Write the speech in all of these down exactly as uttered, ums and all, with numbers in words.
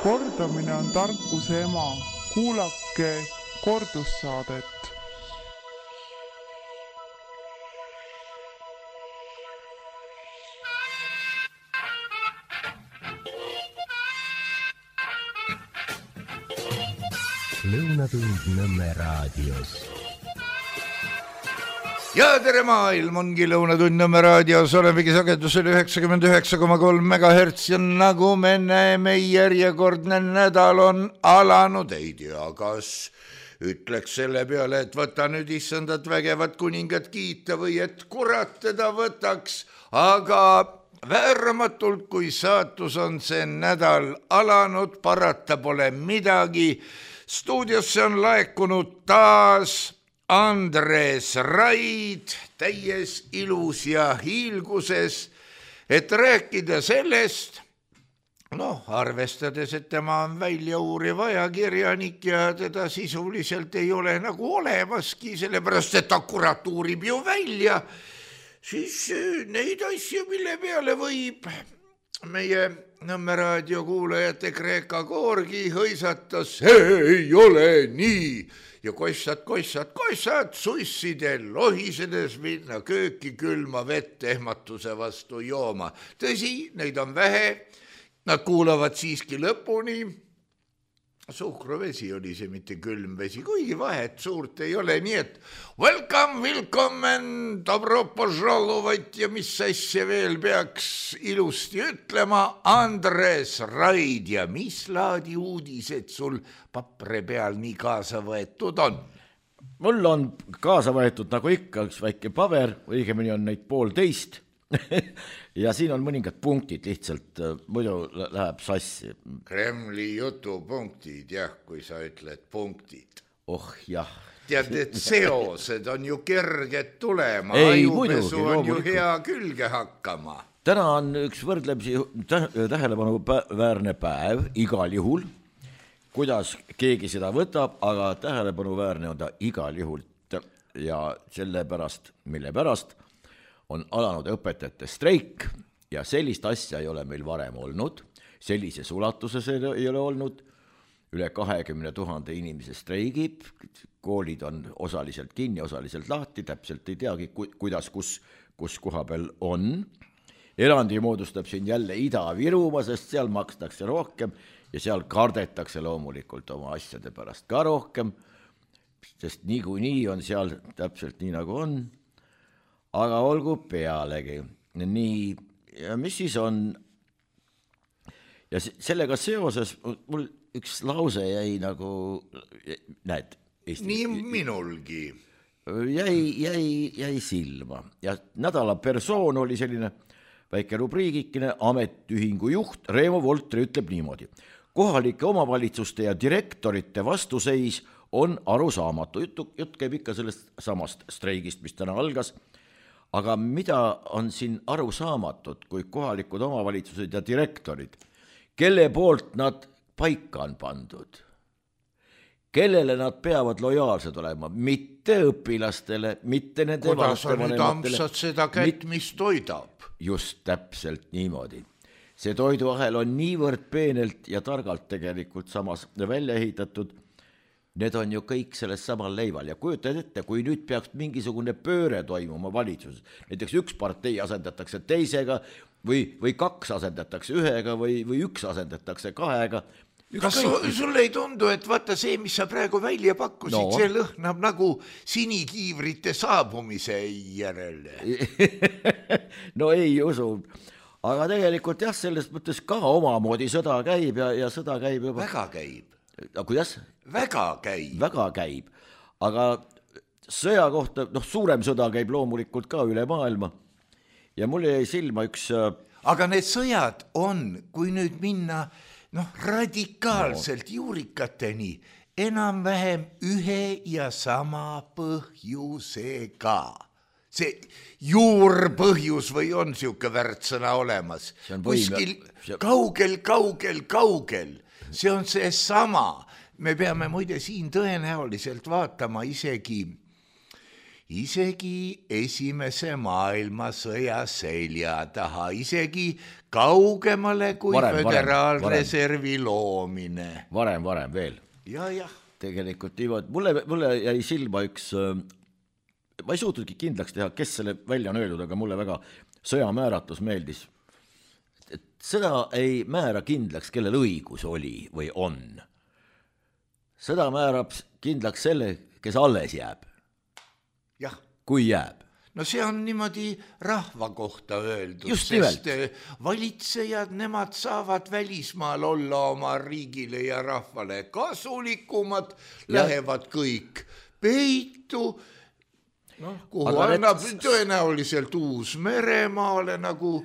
Kordamine on tarkuse ema. Kuulake kordussaadet. Lõunatund Nõmme raadios. Ja tere maailm, ongi Lõunatund Nõmme raadios, olemegi sagedusel üheksakümmend üheksa koma kolm megahertsi ja nagu me näeme, järjekordne nädal on alanud, ei tea, kas ütleks selle peale, et võta nüüd issandat vägevat kuningat kiita või et kurat teda võtaks, aga vääramatult, kui saatus on see nädal alanud, parata pole midagi. Stuudiosse on laekunud taas Andres Raid täies ilus ja hiilguses, et rääkida sellest, noh, arvestades, et tema on välja uuriv ajakirjanik ja teda sisuliselt ei ole nagu olemaski, sellepärast et ta kurat uurib ju välja, siis neid asju, mille peale võib meie Nõmme raadio kuulajate Kreeka koorgi hõisatas, see ei ole nii ja kossad, kossad, kossad sussidel lohisedes minna kööki külma vett ehmatuse vastu jooma. Tõsi, neid on vähe, nad kuulavad siiski lõpuni. Suhkruvesi oli see, mitte külmvesi, kuigi vahet suurt ei ole, nii et welcome, willkommen, dobro požalovat ja mis asja veel peaks ilusti ütlema, Andres Raid ja mis laadi uudised sul papre peal nii kaasa võetud on? Mul on kaasa võetud nagu ikka üks väike paber, õigemini on neid poolteist ja siin on mõningad punktid lihtsalt, muidu läheb sassi. Kremli jutupunktid, jah, kui sa ütled punktid. Oh jah. Tead, et seosed on ju kerged tulema, ajupesu on ju hea külge hakkama. Täna on üks võrdlemisi tähelepanu väärne päev igal juhul, kuidas keegi seda võtab, aga tähelepanu väärne on ta igal juhul ja selle pärast, mille pärast on alanud õpetajate streik ja sellist asja ei ole meil varem olnud, sellises ulatuses ei ole olnud, üle kahekümne tuhande inimese streigib, koolid on osaliselt kinni, osaliselt lahti, täpselt ei teagi, kuidas, kus, kus koha peal on. Erandi moodustab siin jälle Ida-Virumaa, sest seal makstakse rohkem ja seal kardetakse loomulikult oma asjade pärast ka rohkem, sest niikuinii on seal täpselt nii nagu on. Aga olgu pealegi. Nii, ja mis siis on? Ja sellega seoses mul üks lause jäi nagu, näed, Eesti, nii minulgi. Jäi, jäi, jäi silma. Ja nädala persoon oli selline väike rubriigikene, ametiühingu juht Reemo Voltri ütleb niimoodi. Kohalike omavalitsuste ja direktorite vastuseis on arusaamatu. Jutt, jutt käib ikka sellest samast streigist, mis täna algas. Aga mida on siin aru saamatud, kui kohalikud omavalitsused ja direktorid, kelle poolt nad paika on pandud? Kellele nad peavad lojaalsed olema? Mitte õpilastele, mitte nende kuidas on nüüd ampsad seda kätt, mis toidab? Just täpselt niimoodi. See toiduahel on niivõrd peenelt ja targalt tegelikult samas välja ehitatud. Need on ju kõik selles samal leival ja kujutad ette, kui nüüd peaks mingisugune pööre toimuma valitsuses, näiteks üks partei asendatakse teisega või, või kaks asendatakse ühega või, või üks asendatakse kahega. Kas sul, sul ei tundu, et vaata see, mis sa praegu välja pakkusid, no. See lõhnab nagu sinikiivrite saabumise järele? No ei usu, aga tegelikult jah, sellest mõttes ka omamoodi sõda käib ja, ja sõda käib juba. Väga käib. No, kuidas? Väga käib. Väga käib, aga sõja kohta, noh, suurem sõda käib loomulikult ka üle maailma ja mul jäi silma üks... Aga need sõjad on, kui nüüd minna noh, radikaalselt no. Juurikateni, enam-vähem ühe ja sama põhjusega. See juurpõhjus või on siuke värtsõna olemas? Kuskil kaugel, kaugel, kaugel. See on see sama. Me peame muide siin tõenäoliselt vaatama isegi, isegi esimese maailmasõja selja taha, isegi kaugemale kui Varem, varem, föderaalreservi loomine. Varem, varem veel. Ja, jah. Tegelikult niimoodi, mulle, mulle jäi silma üks, ma ei suutudki kindlaks teha, kes selle välja on öeldud, aga mulle väga sõjamääratus meeldis. Et sõda ei määra kindlaks, kellel õigus oli või on. Sõda määrab kindlaks selle, kes alles jääb. Jah. Kui jääb. No see on niimoodi rahva kohta öeldud, Just sest nimelt. valitsejad, nemad saavad välismaal olla oma riigile ja rahvale kasulikumad, ja. Lähevad kõik peitu, no, kuhu aga annab need... tõenäoliselt uus Meremaale nagu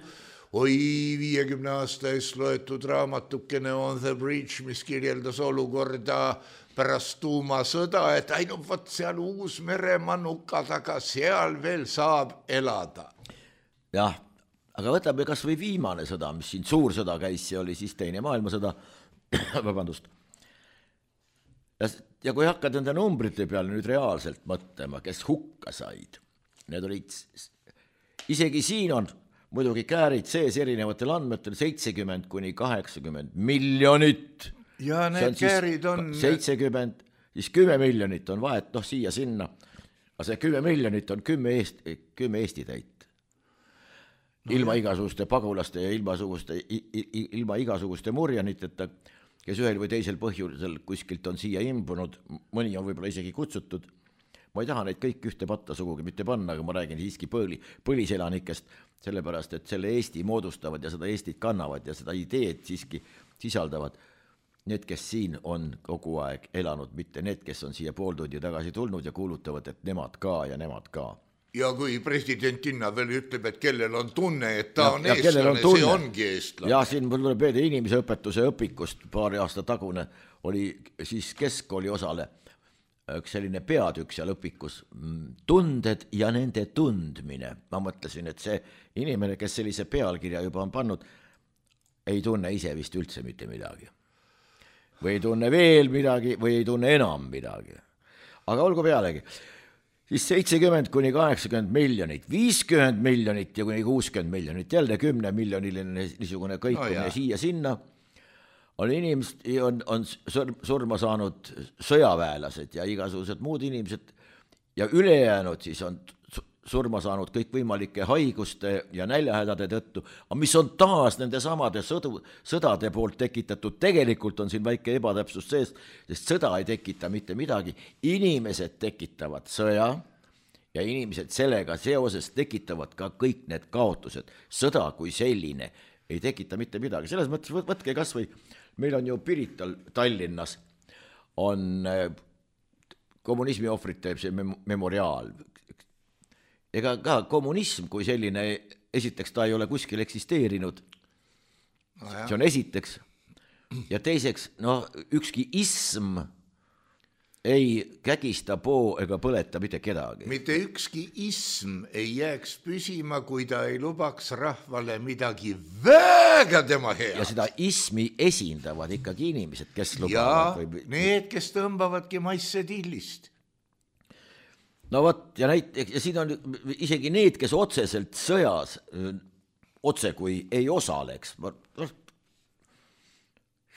oi viiekümne aasta eest loetud raamatukene On the Bridge, mis kirjeldas olukorda pärast tuumasõda, et ainult võt seal uus Meremaa nuka taga, seal veel saab elada. Jah, aga võtame kas või viimane sõda, mis siin suur sõda käis, see oli siis teine maailmasõda, vabandust. Ja, ja kui hakkad enda numbrite peale nüüd reaalselt mõtlema, kes hukka said, need olid, isegi siin on muidugi käärid sees erinevatel andmetel seitsekümmend kuni kaheksakümmend miljonit. Ja need käärid on... seitsekümmend, siis kümme miljonit on vahet, noh siia sinna. Aga see kümme miljonit on kümme Eesti, kümme Eesti täit. No, ilma jah. igasuguste pagulaste ja ilma, ilma igasuguste murjaniteta, kes ühel või teisel põhjusel kuskilt on siia imbunud, mõni on võib-olla isegi kutsutud. Ma ei taha neid kõik ühte patta sugugi mitte panna, aga ma räägin siiski põli, põliselanikest, sellepärast, et selle Eesti moodustavad ja seda Eestit kannavad ja seda ideed siiski sisaldavad. Need, kes siin on kogu aeg elanud, mitte need, kes on siia pool tundi tagasi tulnud ja kuulutavad, et nemad ka ja nemad ka. Ja kui presidentinna veel ütleb, et kellel on tunne, et ta ja, on eestlane, on see ongi eestlane. Ja siin mul tuleb veede inimeseõpetuse õpikust paari aasta tagune oli siis keskkooli osale üks selline peatükk seal õpikus, tunded ja nende tundmine. Ma mõtlesin, et see inimene, kes sellise pealkirja juba on pannud, ei tunne ise vist üldse mitte midagi. Või ei tunne veel midagi, või ei tunne enam midagi. Aga olgu pealegi. Siis seitsekümmend kuni kaheksakümmend miljonit, viiskümmend miljonit ja kuni kuuskümmend miljonit, jälle kümne miljoniline niisugune kõikumine no siia sinna, on inimesed, on, on surma saanud sõjaväelased ja igasugused muud inimesed ja ülejäänud siis on surma saanud kõik võimalike haiguste ja näljahädade tõttu, aga mis on taas nende samade sõdu, sõdade poolt tekitatud, tegelikult on siin väike ebatäpsus sees, sest sõda ei tekita mitte midagi, inimesed tekitavad sõja ja inimesed sellega seoses tekitavad ka kõik need kaotused, sõda kui selline ei tekita mitte midagi, selles mõttes võtke kas või, meil on ju Pirital Tallinnas on kommunismi ohvrit teeb see memoriaal. Ega ka kommunism kui selline, esiteks ta ei ole kuskil eksisteerinud, no see on esiteks, ja teiseks, no ükski ism ei kägista poo ega põleta mitte kedagi. Mitte ükski ism ei jääks püsima, kui ta ei lubaks rahvale midagi väga tema hea. Ja seda ismi esindavad ikkagi inimesed, kes lubavad. Ja või... need, kes tõmbavadki maisse tillist. No võt, ja, näit, ja siin on isegi need, kes otseselt sõjas otse kui ei osaleks,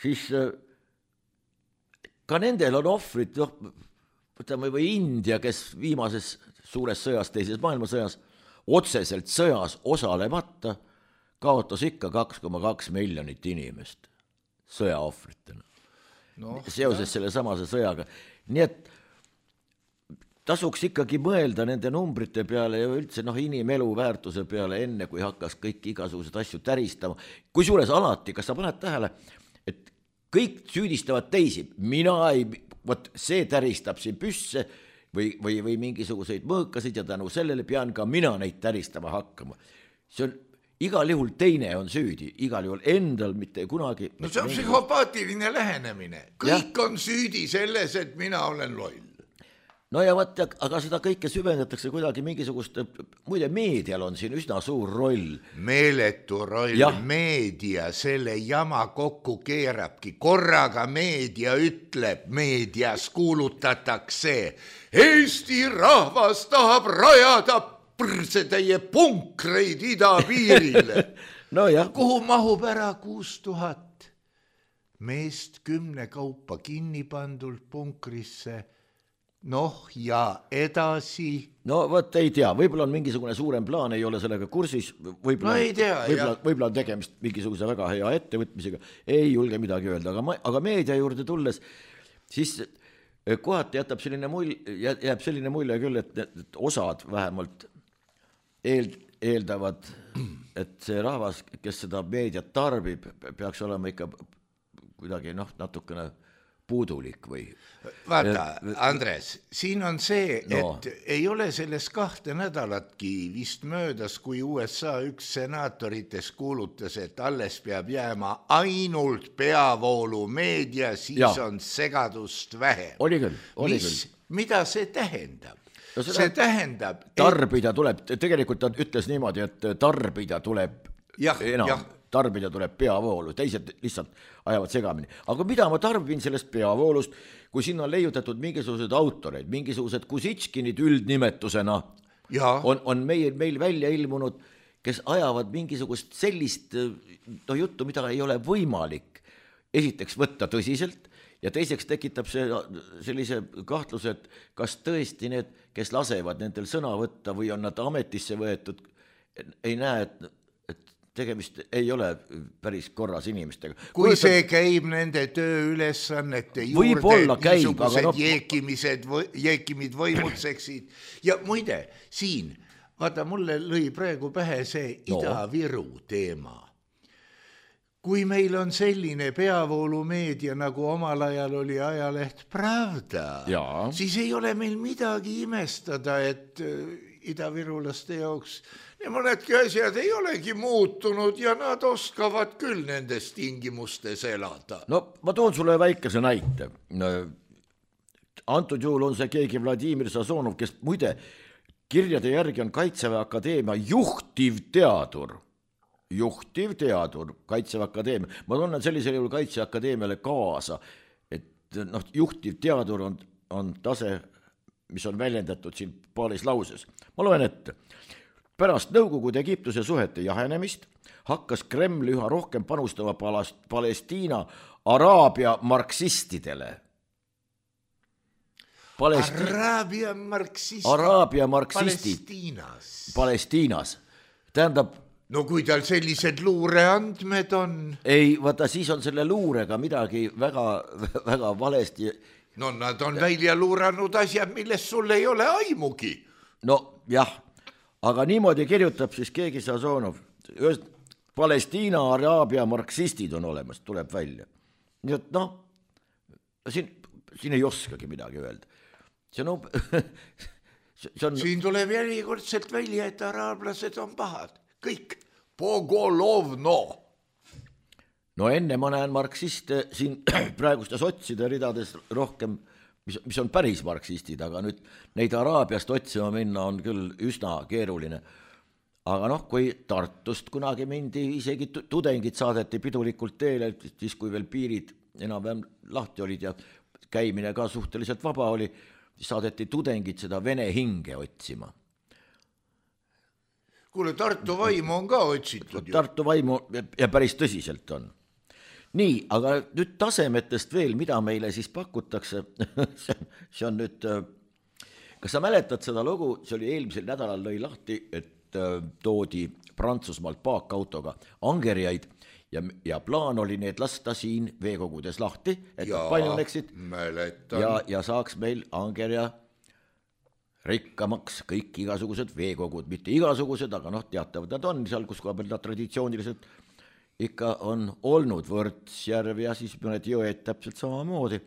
siis ka nendel on ohvrid, võtame või India, kes viimases suures sõjas, teises maailmasõjas, otseselt sõjas osalemata, kaotas ikka kaks koma kaks miljonit inimest sõjaohvritena. No, seoses jah. Selle samase sõjaga. Nii et tasuks ikkagi mõelda nende numbrite peale ja üldse noh, inimelu väärtuse peale enne, kui hakkas kõik igasugused asju täristama. Kui suures alati, kas sa paned tähele, et kõik süüdistavad teisi, mina ei, võt, see täristab siin püsse või, või, või mingisuguseid mõõkasid ja tänu sellele pean ka mina neid täristama hakkama. See on igal juhul teine on süüdi, igal juhul endal mitte kunagi. No see on psühhopaatiline lähenemine. Kõik ja. On süüdi selles, et mina olen loll. no ja vaat, aga seda kõike süvendatakse kuidagi mingisugust, muide meedial on siin üsna suur roll. Meeletu roll, ja. Meedia selle jama kokku keerabki, korraga meedia ütleb, meedias kuulutatakse, Eesti rahvas tahab rajada prsetäie punkreid idapiirile. No jah. Kuhu mahub ära kuus tuhat meest kümne kaupa kinni pandult punkrisse. Noh ja edasi. No võt ei tea, võib-olla on mingisugune suurem plaan, ei ole sellega kursis, võib-olla, no ei tea, võib-olla, võib-olla on tegemist mingisuguse väga hea ettevõtmisega, ei julge midagi öelda, aga, ma, aga meedia juurde tulles, siis kohati jätab selline mulje, jääb selline mulje küll, et, et osad vähemalt eel, eeldavad, et see rahvas, kes seda meediat tarbib, peaks olema ikka kuidagi noh, natukene puudulik või? Vaata, Andres, siin on see, et no. ei ole selles kahte nädalatki vist möödas, kui U S A üks senatorites kuulutas, et alles peab jääma ainult peavoolu meedia, siis ja. on segadust vähem. Oli küll, oli Mis, küll. Mida see tähendab? No see tähendab... Tarbida et... tuleb, tegelikult ta ütles niimoodi, et tarbida tuleb ja, enam. Ja. Tarbida tuleb peavoolu, teised lihtsalt ajavad segamini. Aga mida ma tarbin sellest peavoolust, kui sinna on leiutatud mingisugused autoreid, mingisugused Kusitškinid üldnimetusena on, on meil, meil välja ilmunud, kes ajavad mingisugust sellist no, juttu, mida ei ole võimalik esiteks võtta tõsiselt ja teiseks tekitab see sellise kahtluse, et kas tõesti need, kes lasevad nendel sõna võtta või on nad ametisse võetud, ei näe, et tegemist ei ole päris korras inimestega. Kui Võetud... see käib nende tööülesannete juurde, niisugused no... jeekimised, jeekimid võimutseksid. Ja muide, siin, vaata, mulle lõi praegu pähe see no. Ida-Viru teema. Kui meil on selline peavoolumeedia, nagu omal ajal oli ajaleht Pravda, ja. siis ei ole meil midagi imestada, et idavirulaste jaoks ja mõnedki asjad ei olegi muutunud ja nad oskavad küll nendes tingimustes elada. No ma toon sulle väikese näite. Antud juhul on see keegi Vladimir Sazonov, kes muide kirjade järgi on Kaitseväe Akadeemia juhtivteadur. Juhtivteadur Kaitseväe Akadeemia. Ma tunnen sellisel juhul Kaitseväe Akadeemiale kaasa, et noh, juhtivteadur on, on tase, mis on väljendatud siin paaris lauses. Ma loen ette. Pärast Nõukogude Egiptuse suhete jahenemist hakkas Kreml üha rohkem panustama Palestiina Araabia marksistidele. Palesti... Araabia marksistid. Araabia marksistid. Palestiinas. Palestiinas. Tähendab... No kui tal sellised luureandmed on... Ei, vaata, siis on selle luurega midagi väga, väga valesti. No nad on välja luuranud asjad, millest sul ei ole aimugi. No jah. Aga niimoodi kirjutab siis keegi Sazonov. Palestiina, Araabia marksistid on olemas, tuleb välja. Nii et noh, siin, siin ei oskagi midagi öelda. See on, see on... Siin tuleb järjekordselt välja, et araablased on pahad. Kõik. Pogolovno. No enne ma näen marksiste siin praeguste sotside ridades rohkem... Mis, mis on päris marksistid, aga nüüd neid Araabiast otsima minna on küll üsna keeruline. Aga noh, kui Tartust kunagi mindi, isegi tudengid saadeti pidulikult teele, siis kui veel piirid enam-vähem lahti olid ja käimine ka suhteliselt vaba oli, siis saadeti tudengid seda vene hinge otsima. Kuule, Tartu vaimu on ka otsitud ju. Tartu vaimu ja päris tõsiselt on. Nii, aga nüüd tasemetest veel, mida meile siis pakutakse, see on nüüd, kas sa mäletad seda lugu, see oli eelmisel nädalal lõi lahti, et toodi Prantsusmaalt paakautoga angerjaid ja, ja plaan oli need lasta siin veekogudes lahti, et ja, paljuneksid ja, ja saaks meil angerja rikkamaks kõik igasugused veekogud, mitte igasugused, aga noh, teatavad nad on seal, kus koha peal nad traditsiooniliselt ikka on olnud Võrtsjärv ja siis mõned jõed täpselt samamoodi.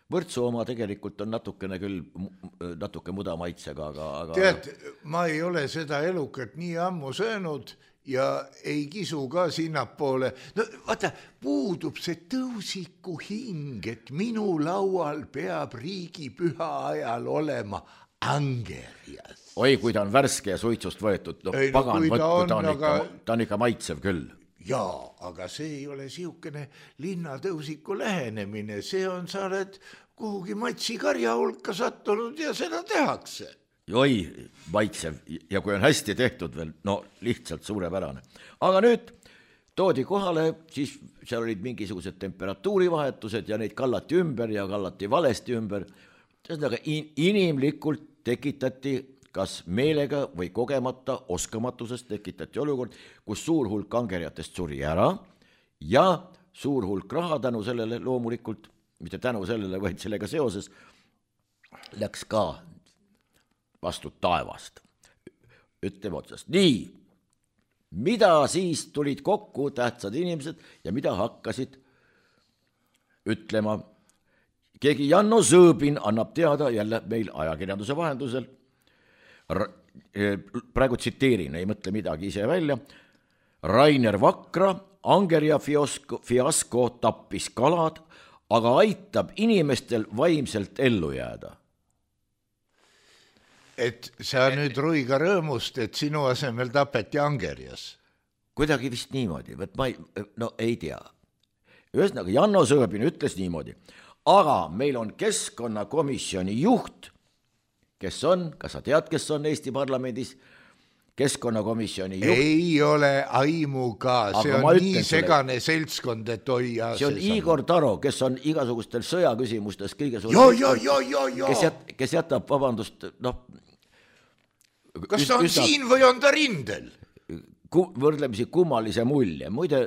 Võrtsu oma tegelikult on natukene küll natuke muda maitsega, aga... aga... Tead, ma ei ole seda elukat nii ammu söönud ja ei kisu ka sinnapoole. No vaata, puudub see tõusiku hing, et minu laual peab riigipüha ajal olema angerjas. Oi, kui ta on värske ja suitsust võetud, no ei, pagan no, võtku, ta on, aga... ikka, ta on ikka maitsev küll. Jaa, aga see ei ole siukene linnatõusiku lähenemine, see on, sa oled kuhugi matsi karja hulka sattunud ja seda tehakse. Oi, maitsev ja kui on hästi tehtud veel, no lihtsalt suurepärane. Aga nüüd toodi kohale, siis seal olid mingisugused temperatuurivahetused ja neid kallati ümber ja kallati valesti ümber. Aga inimlikult tekitati kas meelega või kogemata oskamatusest tekitati olukord, kus suur hulk angerjatest suri ära ja suur hulk raha tänu sellele loomulikult, mitte tänu sellele, vaid sellega seoses, läks ka vastu taevast. Ütleme otsast. Nii, mida siis tulid kokku tähtsad inimesed ja mida hakkasid ütlema? Keegi Janno Sõõbin annab teada jälle meil ajakirjanduse vahendusel. Praegu tsiteerin, ei mõtle midagi ise välja. Rainer Vakra, angerja fiasko, fiasko tappis kalad, aga aitab inimestel vaimselt ellu jääda. Et sa nüüd Ruiga rõõmust, et sinu asemel tapeti angerjas. Kuidagi vist niimoodi, võt ma ei, no ei tea. Ühesõnaga, Janno Sõõbin ütles niimoodi, aga meil on keskkonnakomisjoni juht, kes on, kas sa tead, kes on Eesti parlamendis, keskkonnakomisjoni juht? Ei ole aimu ka, see on nii segane selle... seltskond, et oi ja see on see Igor Taro, kes on igasugustel sõjaküsimustes kõige suurem, jo, jo, jo, jo, jo. Kes, jät, kes jätab, vabandust, noh, kas ta on üsna, siin või on ta rindel? Ku, võrdlemisi kummalise mulje, muide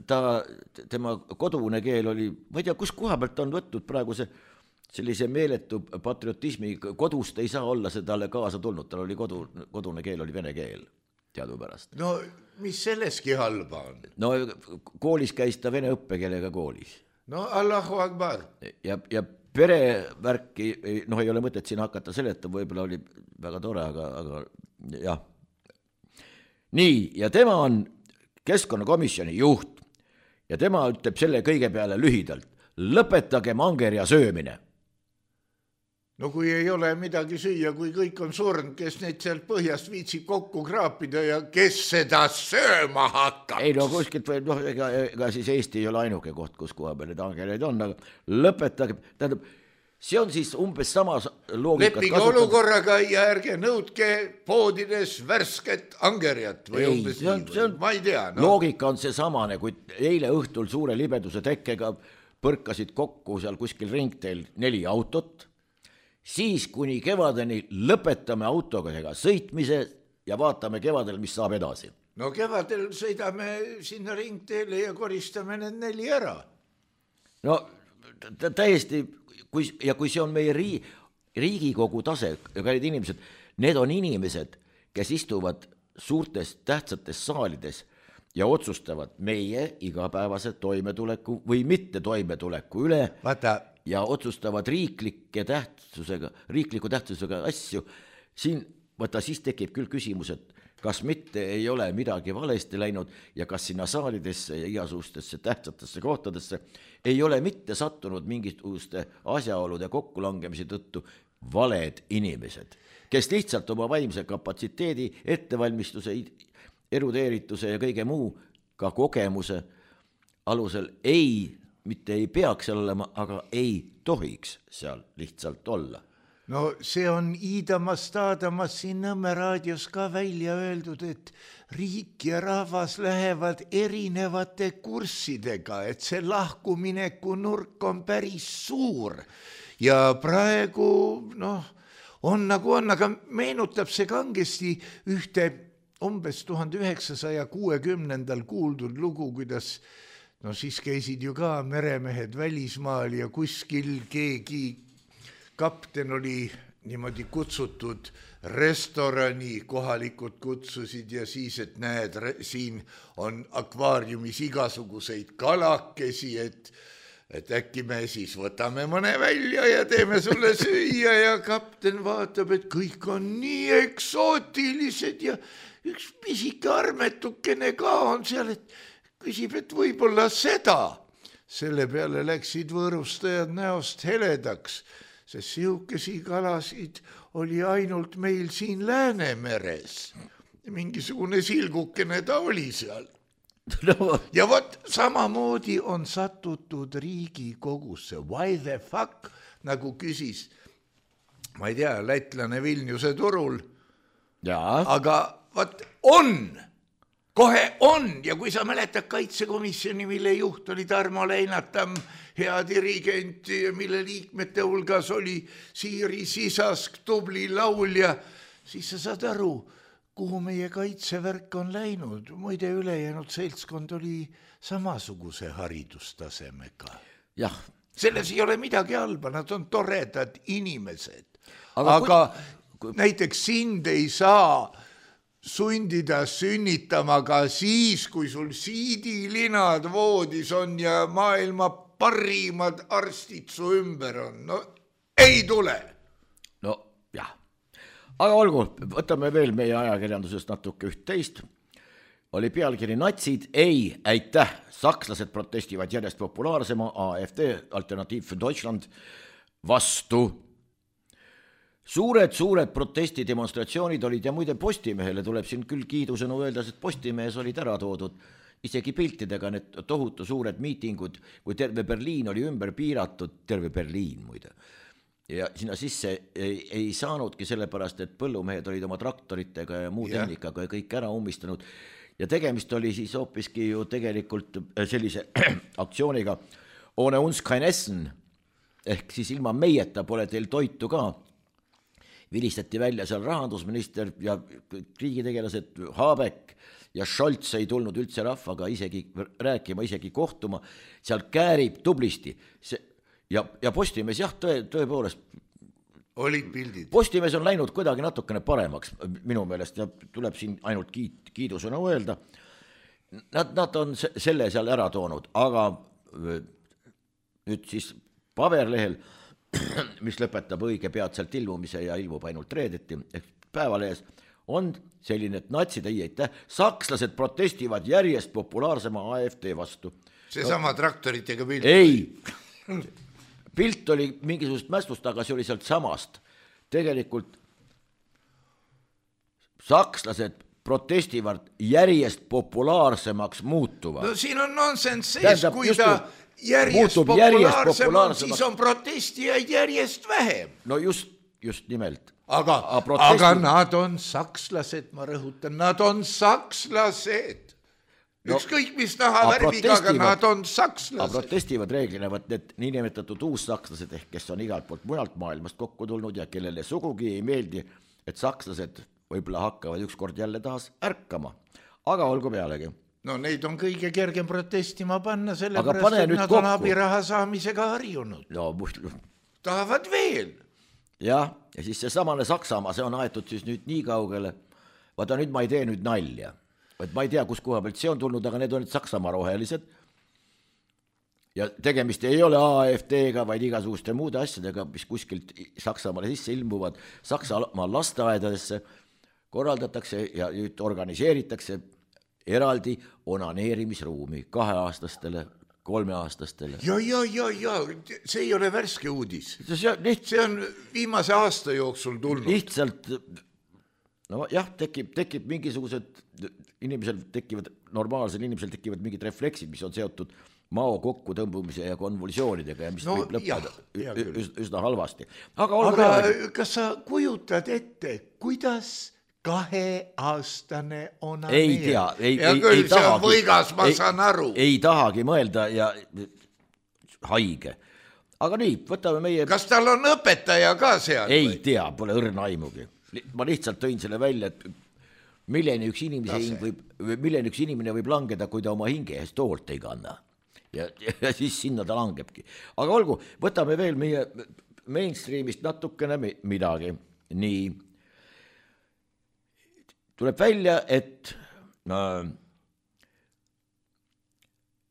ta, tema kodune keel oli, ma ei tea, kus koha pealt on võtnud praegu see sellise meeletu patriotismi, kodust ei saa olla see talle kaasa tulnud, tal oli kodu, kodune keel oli vene keel teadupärast. No mis selleski halba on? No koolis käis ta vene õppekeelega koolis. No Allahu Akbar. Ja, ja perevärki, noh ei ole mõtet siin hakata seletama, võib-olla oli väga tore, aga, aga jah. Nii, ja tema on keskkonnakomisjoni juht ja tema ütleb selle kõige peale lühidalt, lõpetage angerja söömine. No kui ei ole midagi süüa, kui kõik on surnud, kes neid sealt põhjast viitsib kokku kraapida ja kes seda sööma hakkab? Ei no kuskilt või, noh, ega, ega siis Eesti ei ole ainuke koht, kus koha peal need angereid on, aga lõpetage, tähendab, see on siis umbes samas loogikat lepige kasutada. Olukorraga ja ärge nõudke poodides värsket angerjat või ei, umbes see on, see on, ma ei tea. No. Loogika on see samane, kui eile õhtul suure libeduse tekkega põrkasid kokku seal kuskil ringteel neli autot, siis kuni kevadeni lõpetame autoga sõitmise ja vaatame kevadel, mis saab edasi. No kevadel sõidame sinna ringteele ja koristame need neli ära. No täiesti, kui, ja kui see on meie rii, Riigikogu tase, ja kallid inimesed, need on inimesed, kes istuvad suurtes tähtsates saalides ja otsustavad meie igapäevase toimetuleku või mitte toimetuleku üle. Vaata, ja otsustavad riiklike tähtsusega, riikliku tähtsusega asju, siin, võta, siis tekib küll küsimus, et kas mitte ei ole midagi valesti läinud ja kas sinna saalidesse ja igasugustesse tähtsatesse kohtadesse ei ole mitte sattunud mingisuguste asjaolude kokkulangemise tõttu valed inimesed, kes lihtsalt oma vaimse kapatsiteedi, ettevalmistuse, erudeerituse ja kõige muu, ka kogemuse alusel ei mitte ei peaks seal olema, aga ei tohiks seal lihtsalt olla. No see on iidamas taadamas siin Nõmme raadios ka välja öeldud, et riik ja rahvas lähevad erinevate kurssidega, et see lahkumineku nurk on päris suur. Ja praegu, noh, on nagu on, aga meenutab see kangesti ühte umbes tuhande üheksasaja kuuekümnendal kuuldud lugu, kuidas no siis käisid ju ka meremehed välismaal ja kuskil keegi kapten oli niimoodi kutsutud restorani, kohalikud kutsusid ja siis, et näed, siin on akvaariumis igasuguseid kalakesi, et et äkki me siis võtame mõne välja ja teeme sulle süüa ja kapten vaatab, et kõik on nii eksootilised ja üks pisike armetukene ka on seal, et küsib, et võib-olla seda. Selle peale läksid võõrustajad näost heledaks, sest sihukesi kalasid oli ainult meil siin Läänemeres. Mingisugune silgukene ta oli seal. No. Ja vot samamoodi on satutud Riigikogusse. Why the fuck, nagu küsis, ma ei tea, lätlane Vilniuse turul. Ja. Aga vot on, kohe on. Ja kui sa mäletad kaitsekomisjoni, mille juht oli Tarmo Leinatam, hea dirigent, mille liikmete hulgas oli Siiri Sisask, tubli laulja, siis sa saad aru, kuhu meie kaitsevärk on läinud. Muide ülejäänud seltskond oli samasuguse haridustasemega. Jah. Selles ei ole midagi halba, nad on toredad inimesed. Aga, Aga kui... näiteks sind ei saa sundida sünnitama ka siis, kui sul siidilinad voodis on ja maailma parimad arstid su ümber on. No ei tule. No jah. Aga olgu, võtame veel meie ajakirjandusest natuke üht teist. Oli pealkiri natsid, ei, aitäh, sakslased protestivad järjest populaarsema A F D, Alternatiiv für Deutschland, vastu. Suured, suured protestidemonstratsioonid olid ja muide Postimehele tuleb siin küll kiidusõnu öelda, et Postimehes olid ära toodud isegi piltidega need tohutu suured miitingud, kui terve Berliin oli ümber piiratud, terve Berliin muide. Ja sinna sisse ei, ei saanudki sellepärast, et põllumehed olid oma traktoritega ja muu yeah. tehnikaga ja kõik ära ummistanud. Ja tegemist oli siis hoopiski ju tegelikult sellise aktsiooniga ohne uns kein Essen, ehk siis ilma meieta pole teil toitu ka. Vilistati välja seal rahandusminister ja riigitegelased Habeck ja Scholz ei tulnud üldse rahvaga isegi rääkima, isegi kohtuma. Seal käärib tublisti see Ja, ja Postimees, jah, tõe, tõepoolest. Olid pildid. Postimees on läinud kuidagi natukene paremaks minu meelest ja tuleb siin ainult kiit, kiidusõna öelda. Nad, nad on selle seal ära toonud, aga nüüd siis paberlehel, mis lõpetab õige peatselt ilmumise ja ilmub ainult reedeti, ehk päevalehes, on selline, et natsid ei eitäh, sakslased protestivad järjest populaarsema A F D vastu. See sama traktoritega pilt. Ei. Pilt oli mingisugust mästust, aga see oli sealt samast. Tegelikult sakslased protestivad järjest populaarsemaks muutuvad. No siin on nonsense sees, kui ta järjest populaarsem on, siis on protestijaid järjest vähem. No just, just nimelt. Aga, aga nad on sakslased, ma rõhutan, nad on sakslased. No, ükskõik mis taha värviga, aga nad on sakslased. Aga protestivad reeglina, võt need niinimetatud uussakslased, ehk kes on igalt poolt mujalt maailmast kokku tulnud ja kellele sugugi ei meeldi, et sakslased võib-olla hakkavad ükskord jälle tahas ärkama. Aga olgu pealegi. No neid on kõige kergem protestima panna, sellepärast, et nad kokku. On abiraha saamisega harjunud. No, tahavad veel. Jah, ja siis see samane Saksamaa, see on aetud siis nüüd nii kaugele. Vaata, nüüd ma ei tee nüüd nalja. Et ma ei tea, kus koha pealt see on tulnud, aga need on nüüd Saksamaa rohelised. Ja tegemist ei ole A F D-ga, vaid igasuguste muude asjadega, mis kuskilt Saksamaale sisse ilmuvad. Saksamaa lasteaedadesse korraldatakse ja nüüd organiseeritakse eraldi onaneerimisruumi kaheaastastele, kolmeaastastele. Ja, ja, ja, ja, see ei ole värske uudis. See, liht... see on viimase aasta jooksul tulnud. Lihtsalt, no jah, tekib, tekib mingisugused, inimesel tekivad, normaalsel inimesel tekivad mingid refleksid, mis on seotud mao kokku tõmbumise ja konvulsioonidega ja mis no, võib lõppeda jah, üs, üsna halvasti. Aga, aga kas sa kujutad ette, kuidas kaheaastane on ei tea, ei, ja ei, küll ei see tahagi, on võigas, ma ei, saan aru. Ei tahagi mõelda ja haige. Aga nii, võtame meie... Kas tal on õpetaja ka seal? Ei või? Tea, pole õrna aimugi. Ma lihtsalt tõin selle välja, et milleni üks, võib, milleni üks inimene võib langeda, kui ta oma hinge eest toolt ei kanna. Ja, ja siis sinna ta langebki. Aga olgu, võtame veel meie mainstreamist natukene midagi. Nii. Tuleb välja, et äh,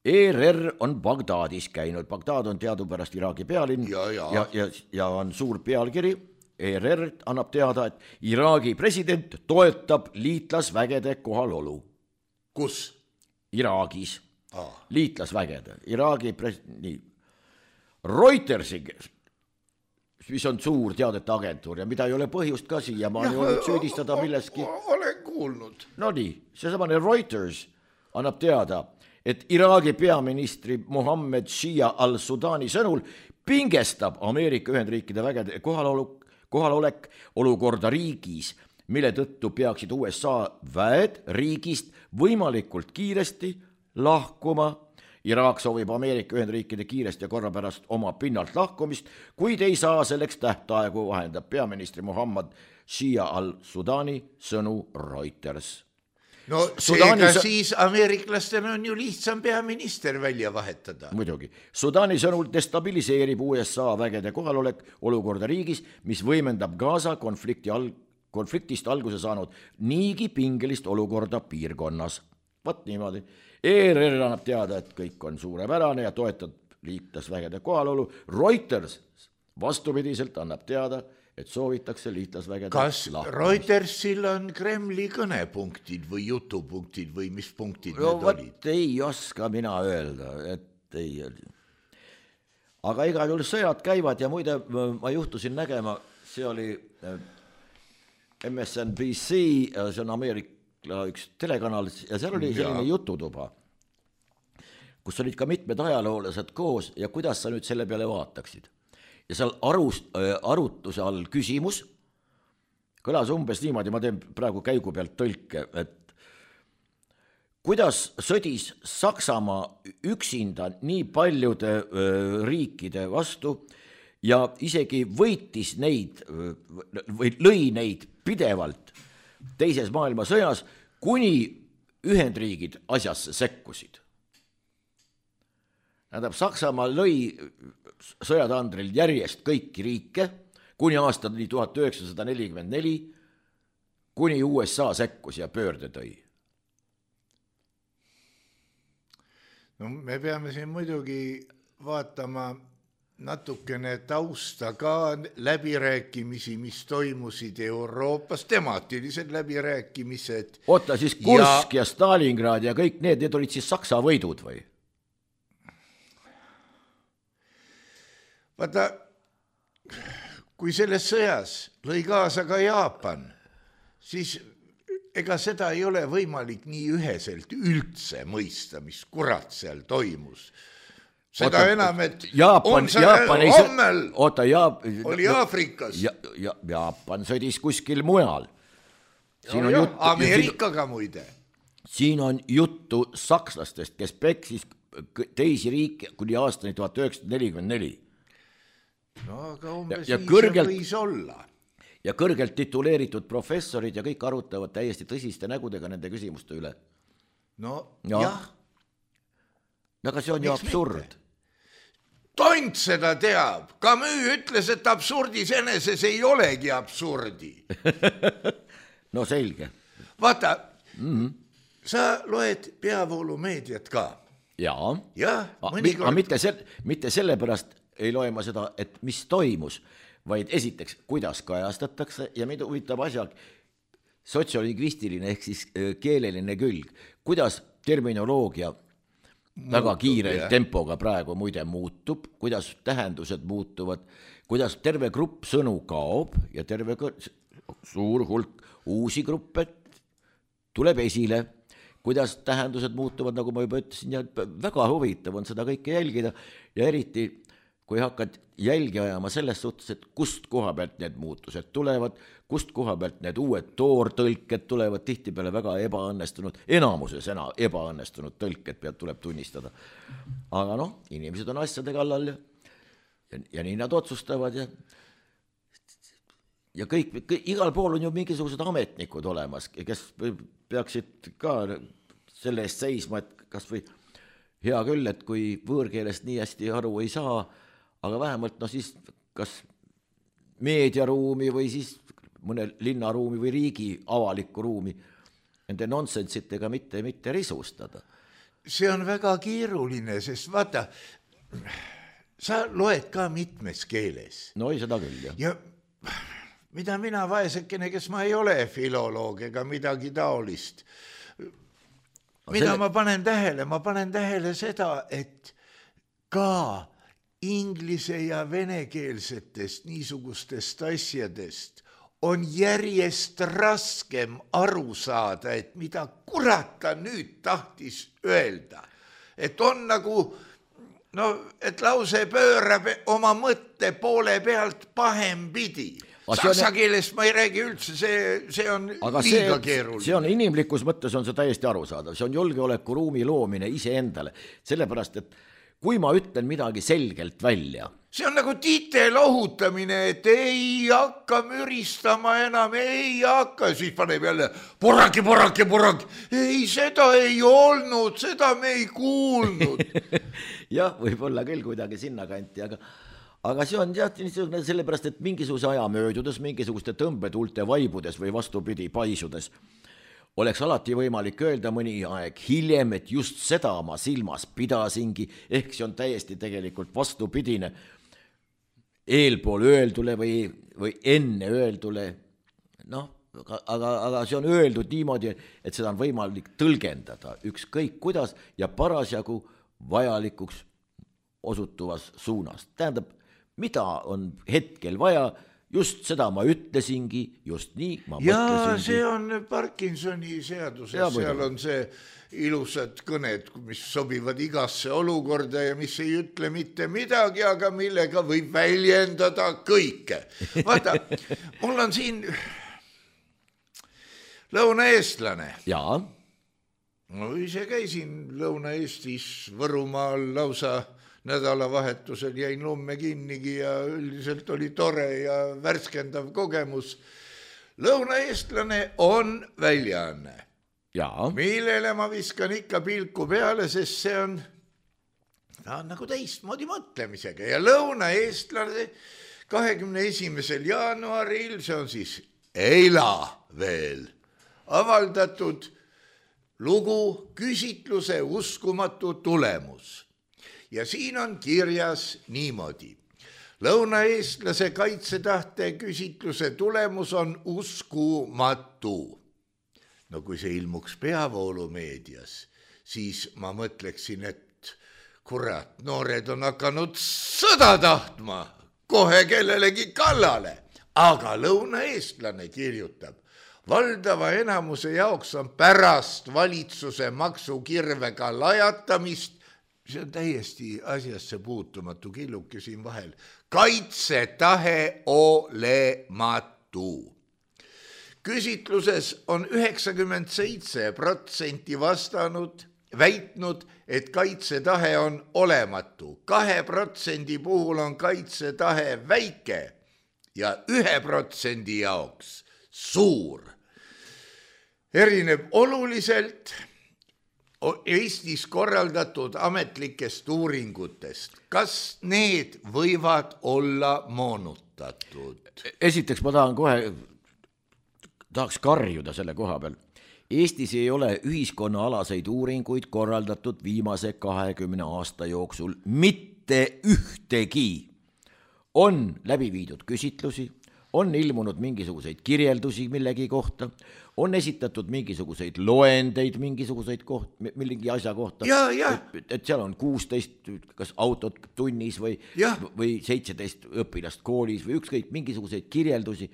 E R R on Bagdadis käinud, Bagdad on teadupärast Iraagi pealinn ja, ja. Ja, ja, ja on suur pealkiri, E R R annab teada, et Iraagi president toetab liitlasvägede kohalolu. Kus? Iraagis, ah. liitlasvägede, Iraagi pres-, nii, Reutersi, mis on suur teadete agentuur ja mida ei ole põhjust ka siia, ma olen olnud süüdistada milleski. Olen kuulnud. No nii, see samane Reuters annab teada, et Iraagi peaministri Mohammed Shia al-Sudani sõnul pingestab Ameerika Ühendriikide vägede kohalolek, kohalolek olukorda riigis, mille tõttu peaksid U S A väed riigist võimalikult kiiresti lahkuma. Iraak soovib Ameerika Ühendriikide kiiresti ja korra pärast oma pinnalt lahkumist, kuid ei saa selleks tähtaegu, vahendab peaministri Mohammed Shia al-Sudani sõnu Reuters. No seega Sudani... siis ameeriklastel on ju lihtsam peaminister välja vahetada. Muidugi. Sudani sõnul destabiliseerib U S A vägede kohalolek olukorda riigis, mis võimendab Gaza konflikti al... konfliktist alguse saanud niigi pingelist olukorda piirkonnas. Vat niimoodi. E R R annab teada, et kõik on suurepärane ja toetab liitlasvägede kohalolu. Reuters vastupidiselt annab teada, et soovitakse liitlasvägede kas lahkumist. Reutersil on Kremli kõnepunktid või jutupunktid või mis punktid no, need olid? Ei oska mina öelda, et ei. Aga igal juhul sõjad käivad ja muide ma juhtusin nägema, see oli M S N B C, see on Ameerika üks telekanal ja seal oli selline ja. jututuba, kus olid ka mitmed ajaloolased koos ja kuidas sa nüüd selle peale vaataksid. Ja seal arust, arutuse all küsimus kõlas umbes niimoodi, ma teen praegu käigu pealt tõlke, et kuidas sõdis Saksamaa üksinda nii paljude riikide vastu ja isegi võitis neid või lõi neid pidevalt teises maailmasõjas, kuni Ühendriigid asjasse sekkusid. Tähendab, Saksamaa lõi sõjatandril järjest kõiki riike, kuni aastani tuhat üheksasada nelikümmend neli, kuni U S A sekkus ja pöörde tõi. No me peame siin muidugi vaatama natukene tausta ka läbirääkimisi, mis toimusid Euroopas, temaatilised läbirääkimised. Oota, siis Kursk ja, ja Stalingrad ja kõik need, need olid siis Saksa võidud või? Vaata, kui selles sõjas lõi kaasa ka Jaapan, siis ega seda ei ole võimalik nii üheselt üldse mõista, mis kurat seal toimus. Seda oota, enam, et Jaapan, on see Jaapan hommel oota, Jaap, oli Aafrikas. Ja, ja, Jaapan sõdis kuskil mujal. Siin no, on juttu, Ameerikaga siin, muide. Siin on juttu sakslastest, kes peksis teisi riike kuni aastani tuhat üheksasada nelikümmend neli. No aga umbes ja, ja nii kõrgelt, see võis olla. Ja kõrgelt tituleeritud professorid ja kõik arutavad täiesti tõsiste nägudega nende küsimuste üle. No ja. jah. Aga see on ju absurd. Tont seda teab. Camus ütles, et absurdis eneses ei olegi absurdi. No selge. Vaata, mm-hmm. sa loed peavoolumeediat ka. Jaa. Ja, mõnikord... Aga mitte, sel, mitte sellepärast ei loe ma seda, et mis toimus, vaid esiteks, kuidas kajastatakse ja mida huvitav asja, sotsiolingvistiline ehk siis keeleline külg, kuidas terminoloogia muutub, väga kiire jah. Tempoga praegu muide muutub, kuidas tähendused muutuvad, kuidas terve grupp sõnu kaob ja terve suur hulk uusi gruppe tuleb esile, kuidas tähendused muutuvad, nagu ma juba ütlesin, ja väga huvitav on seda kõike jälgida ja eriti, kui hakkad jälgi ajama selles suhtes, et kust koha pealt need muutused tulevad, kust koha pealt need uued toortõlked tulevad, tihtipeale väga ebaõnnestunud, enamuses ena, ebaõnnestunud tõlked pealt tuleb tunnistada. Aga noh, inimesed on asjade kallal ja, ja, ja nii nad otsustavad ja, ja kõik, kõik, igal pool on ju mingisugused ametnikud olemas, kes peaksid ka selle eest seisma, et kas või hea küll, et kui võõrkeelest nii hästi aru ei saa, aga vähemalt no siis kas meediaruumi või siis mõne linnaruumi või riigi avalikku ruumi nende nonsensitega mitte, mitte risustada. see on väga keeruline, sest vaata, sa loed ka mitmes keeles. No ei, seda küll, jah. Ja mida mina vaesekene, kes ma ei ole filoloog ega midagi taolist, mida selle... ma panen tähele, ma panen tähele seda, et ka inglise ja venekeelsetest niisugustest asjadest on järjest raskem aru saada, et mida kurat ta nüüd tahtis öelda. Et on nagu, no, et lause pöörab oma mõtte poole pealt pahem pidi. Saksa on... keelest ma ei räägi üldse, see, see on aga liiga see, keeruline. See on inimlikus mõttes on see täiesti arusaadav. See on julgeoleku ruumi loomine iseendale. Sellepärast, et kui ma ütlen midagi selgelt välja. See on nagu tiite lohutamine, et ei hakka müristama enam, ei hakka. Siis paneb jälle poraki, poraki, poraki. Ei, seda ei olnud, seda me ei kuulnud. Jah, võib-olla küll kuidagi sinna kanti, aga Aga see on jah, sellepärast, et mingisuguse aja möödudes, mingisuguste tõmbetuulte vaibudes või vastupidi paisudes, oleks alati võimalik öelda mõni aeg hiljem, et just seda ma silmas pidasingi, ehk see on täiesti tegelikult vastupidine eelpool öeldule või, või enne öeldule, noh, aga, aga see on öeldud niimoodi, et seda on võimalik tõlgendada ükskõik kuidas ja parasjagu vajalikuks osutuvas suunas. Tähendab, mida on hetkel vaja, just seda ma ütlesingi, just nii ma ja mõtlesingi. See on Parkinsoni seaduses, ja, seal on see ilusad kõned, mis sobivad igasse olukorda ja mis ei ütle mitte midagi, aga millega võib väljendada kõike. Vaata, mul on siin lõunaeestlane. Jaa. No ise käisin Lõuna-Eestis Võrumaal lausa nädalavahetusel, jäin lumme kinnigi ja üldiselt oli tore ja värskendav kogemus. Lõunaeestlane on väljaanne, millele ma viskan ikka pilku peale, sest see on, ta on nagu teistmoodi mõtlemisega ja Lõunaeestlane kahekümne esimesel jaanuaril, see on siis eila veel avaldatud lugu küsitluse uskumatu tulemus. Ja siin on kirjas niimoodi. Lõunaeestlase kaitsetahte küsitluse tulemus on uskumatu. No kui see ilmuks peavoolumeedias, siis ma mõtleksin, et kurat, noored on hakanud sõda tahtma kohe kellelegi kallale. Aga lõunaeestlane kirjutab, valdava enamuse jaoks on pärast valitsuse maksukirvega lajatamist, see on täiesti asjasse puutumatu killuke siin vahel, kaitsetahe olematu. Küsitluses on üheksakümmend seitse protsenti vastanud, väitnud, et kaitsetahe on olematu. Kahe protsendi puhul on kaitsetahe väike ja ühe protsendi jaoks suur. Erineb oluliselt Eestis korraldatud ametlikest uuringutest. Kas need võivad olla moonutatud? Esiteks ma tahan kohe, tahaks karjuda selle koha peal. Eestis ei ole ühiskonnaalaseid uuringuid korraldatud viimase kahekümne aasta jooksul mitte ühtegi. On läbi viidud küsitlusi, on ilmunud mingisuguseid kirjeldusi millegi kohta, on esitatud mingisuguseid loendeid mingisuguseid koht, millegi asja kohta, ja, ja. Et, et seal on kuusteist kas autot tunnis või, või seitseteist õpilast koolis või ükskõik mingisuguseid kirjeldusi,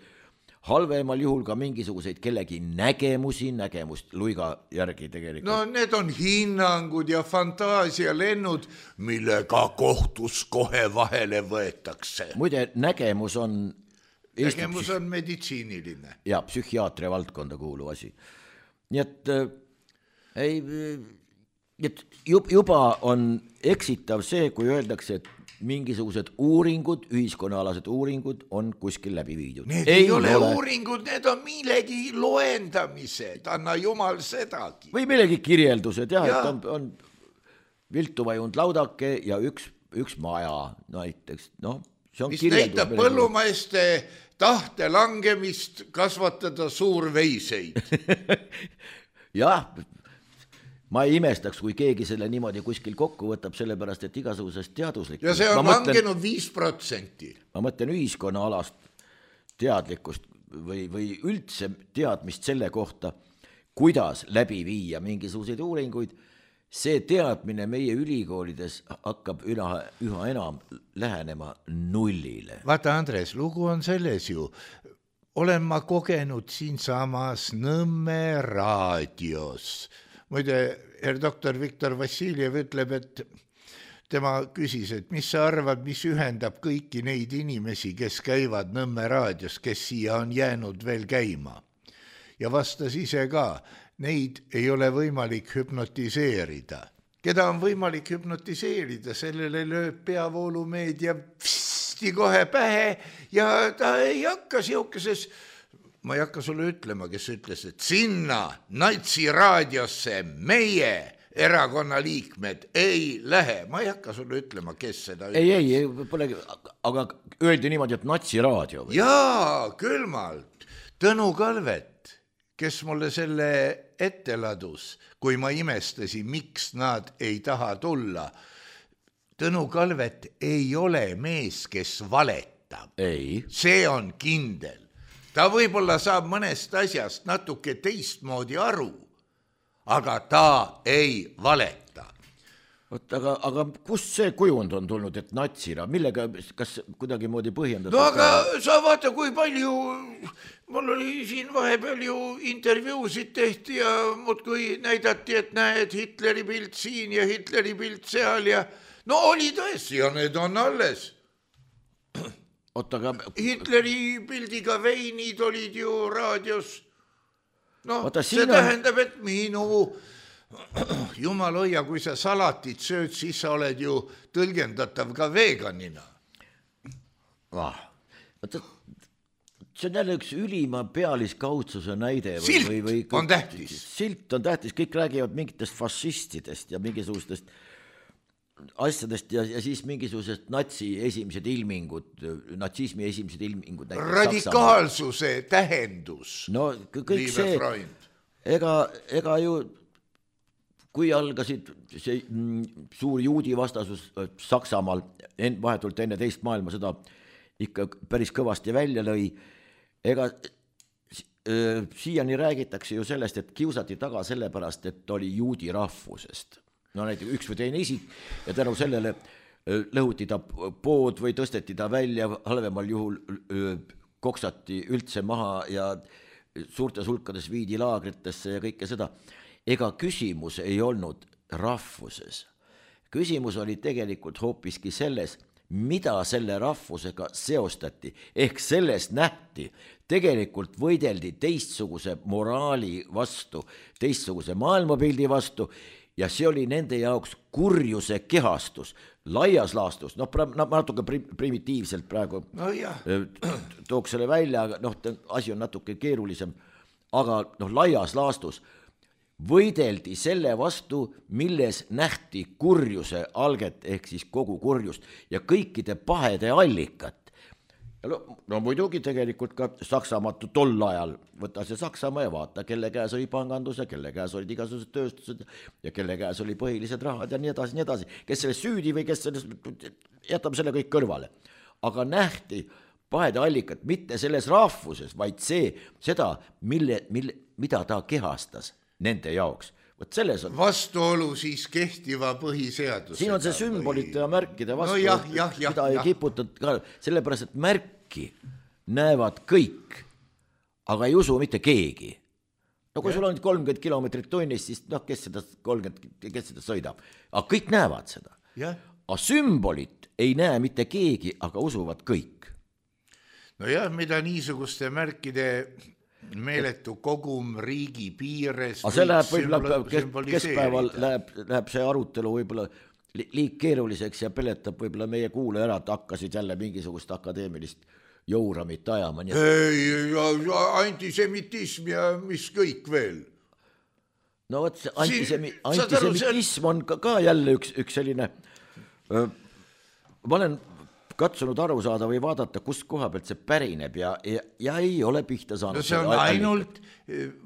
halvemal juhul ka mingisuguseid kellegi nägemusi, nägemust luiga järgi tegelikult. No need on hinnangud ja fantaasialennud, millega kohtus kohe vahele võetakse. Muide, nägemus on Nägemus on meditsiiniline. Ja psühhiaatria valdkonda kuuluv asi. Nii et, ei, et juba on eksitav see, kui öeldakse, et mingisugused uuringud, ühiskonnaalased uuringud on kuskil läbi viidud. Need ei, ei ole, ole uuringud, need on millegi loendamised, anna jumal sedagi. Või millegi kirjeldused, jah, ja. Et on, on viltu vajunud laudake ja üks, üks maja näiteks, noh. Mis näitab põllumeeste tahte langemist kasvatada suurveiseid. Jah, ma ei imestaks, kui keegi selle niimoodi kuskil kokku võtab, sellepärast, et igasugusest teaduslik. Ja see on langenud viis protsenti. Ma mõtlen ühiskonna alast teadlikkust või, või üldse teadmist selle kohta, kuidas läbi viia mingisuguseid uuringuid. See teadmine meie ülikoolides hakkab üha, üha enam lähenema nullile. Vaata, Andres, lugu on selles ju. Olen ma kogenud siin samas Nõmme raadios. Muide, herr doktor Viktor Vassiljev ütleb, et tema küsis, et mis sa arvad, mis ühendab kõiki neid inimesi, kes käivad Nõmme raadios, kes siia on jäänud veel käima. Ja vastas ise ka, neid ei ole võimalik hüpnotiseerida. Keda on võimalik hüpnotiseerida, sellele lööb peavoolumeedia psti kohe pähe ja ta ei hakka siukeses, ma ei hakka sulle ütlema, kes ütles, et sinna natsi raadiosse meie erakonna liikmed ei lähe. Ma ei hakka sulle ütlema, kes seda ütles. Ei, ei, polegi, aga öeldi niimoodi, et natsi raadio. Või? Jaa, külmalt. Tõnu Kalvet, kes mulle selle ette ladus, kui ma imestasin, miks nad ei taha tulla. Tõnu Kalvet ei ole mees, kes valetab. Ei. See on kindel. Ta võib-olla saab mõnest asjast natuke teistmoodi aru, aga ta ei valeta. Oot, aga, aga kust see kujund on tulnud, et natsira? Millega, kas kuidagi moodi põhjendatud? No aga ka? Sa vaata, kui palju, mul oli siin vahepeal ju intervjuusid tehti ja mut kui näidati, et näed Hitleri pilt siin ja Hitleri pilt seal ja no oli tõesti ja need on alles. Oot, aga... Hitleri pildiga veinid olid ju raadios. No, Oota, see on... tähendab, et minu... Jumal hoia, kui sa salatit sööd, siis sa oled ju tõlgendatav ka veganina. Ah, see on jälle üks ülima pealiskaudsuse näide. Või, silt või, või, on tähtis. Silt on tähtis, kõik räägivad mingitest fašistidest ja mingisugustest asjadest ja, ja siis mingisugusest natsi esimesed ilmingud, natsismi esimesed ilmingud. Radikaalsuse Saksamaa. Tähendus. No kõik see, ega, ega ju kui algasid see suur juudi vastasus Saksamaal vahetult enne teist maailmasõda ikka päris kõvasti välja lõi, ega siiani räägitakse ju sellest, et kiusati taga sellepärast, et oli juudi rahvusest. No näiteks üks või teine isik ja tänu sellele lõhuti ta pood või tõsteti ta välja, halvemal juhul koksati üldse maha ja suurtes hulkades viidi laagritesse ja kõike seda. Ega küsimus ei olnud rahvuses. Küsimus oli tegelikult hoopiski selles, mida selle rahvusega seostati. Ehk sellest nähti, tegelikult võideldi teistsuguse moraali vastu, teistsuguse maailmapildi vastu ja see oli nende jaoks kurjuse kehastus, laias laastus, noh, natuke primitiivselt praegu no, tooks selle välja, aga noh, asi on natuke keerulisem, aga noh, laias laastus võideldi selle vastu, milles nähti kurjuse alget ehk siis kogu kurjust ja kõikide pahede allikat. No, no muidugi tegelikult ka Saksamaa tol ajal, võta see Saksamaa ja vaata, kelle käes oli pangandus ja kelle käes olid igasugused tööstused ja kelle käes oli põhilised rahad ja nii edasi, nii edasi. Kes selles süüdi või kes selles, jätab selle kõik kõrvale. Aga nähti pahede allikat mitte selles rahvuses, vaid see, seda, mille, mille, mida ta kehastas nende jaoks. Võt selles on... Vastuolu siis kehtiva põhiseadusega. Siin on see sümbolite ja märkide vastu, no jah, jah, jah, mida ei jah. kiputud ka, sellepärast, et märki näevad kõik, aga ei usu mitte keegi. No kui ja. Sul on kolmkümmend kilomeetrit tunnis, siis noh, kes seda kolmkümmend, kes seda sõidab? Aga kõik näevad seda. Ja. Aga sümbolit ei näe mitte keegi, aga usuvad kõik. No jah, mida niisuguste märkide... meeletu kogum riigi piires. Aga see läheb võib-olla keskpäeval läheb, läheb see arutelu võib-olla liik keeruliseks ja peletab võib-olla meie kuulajad hakkasid jälle mingisugust akadeemilist jouramit ajama. Ei, ja, ja antisemitism ja mis kõik veel. No võt, see antisemi, antisemitism on ka, ka jälle üks, üks selline öö, ma olen katsunud aru saada või vaadata, kust koha pealt see pärineb ja, ja, ja ei ole pihta saanud. No see on ainult,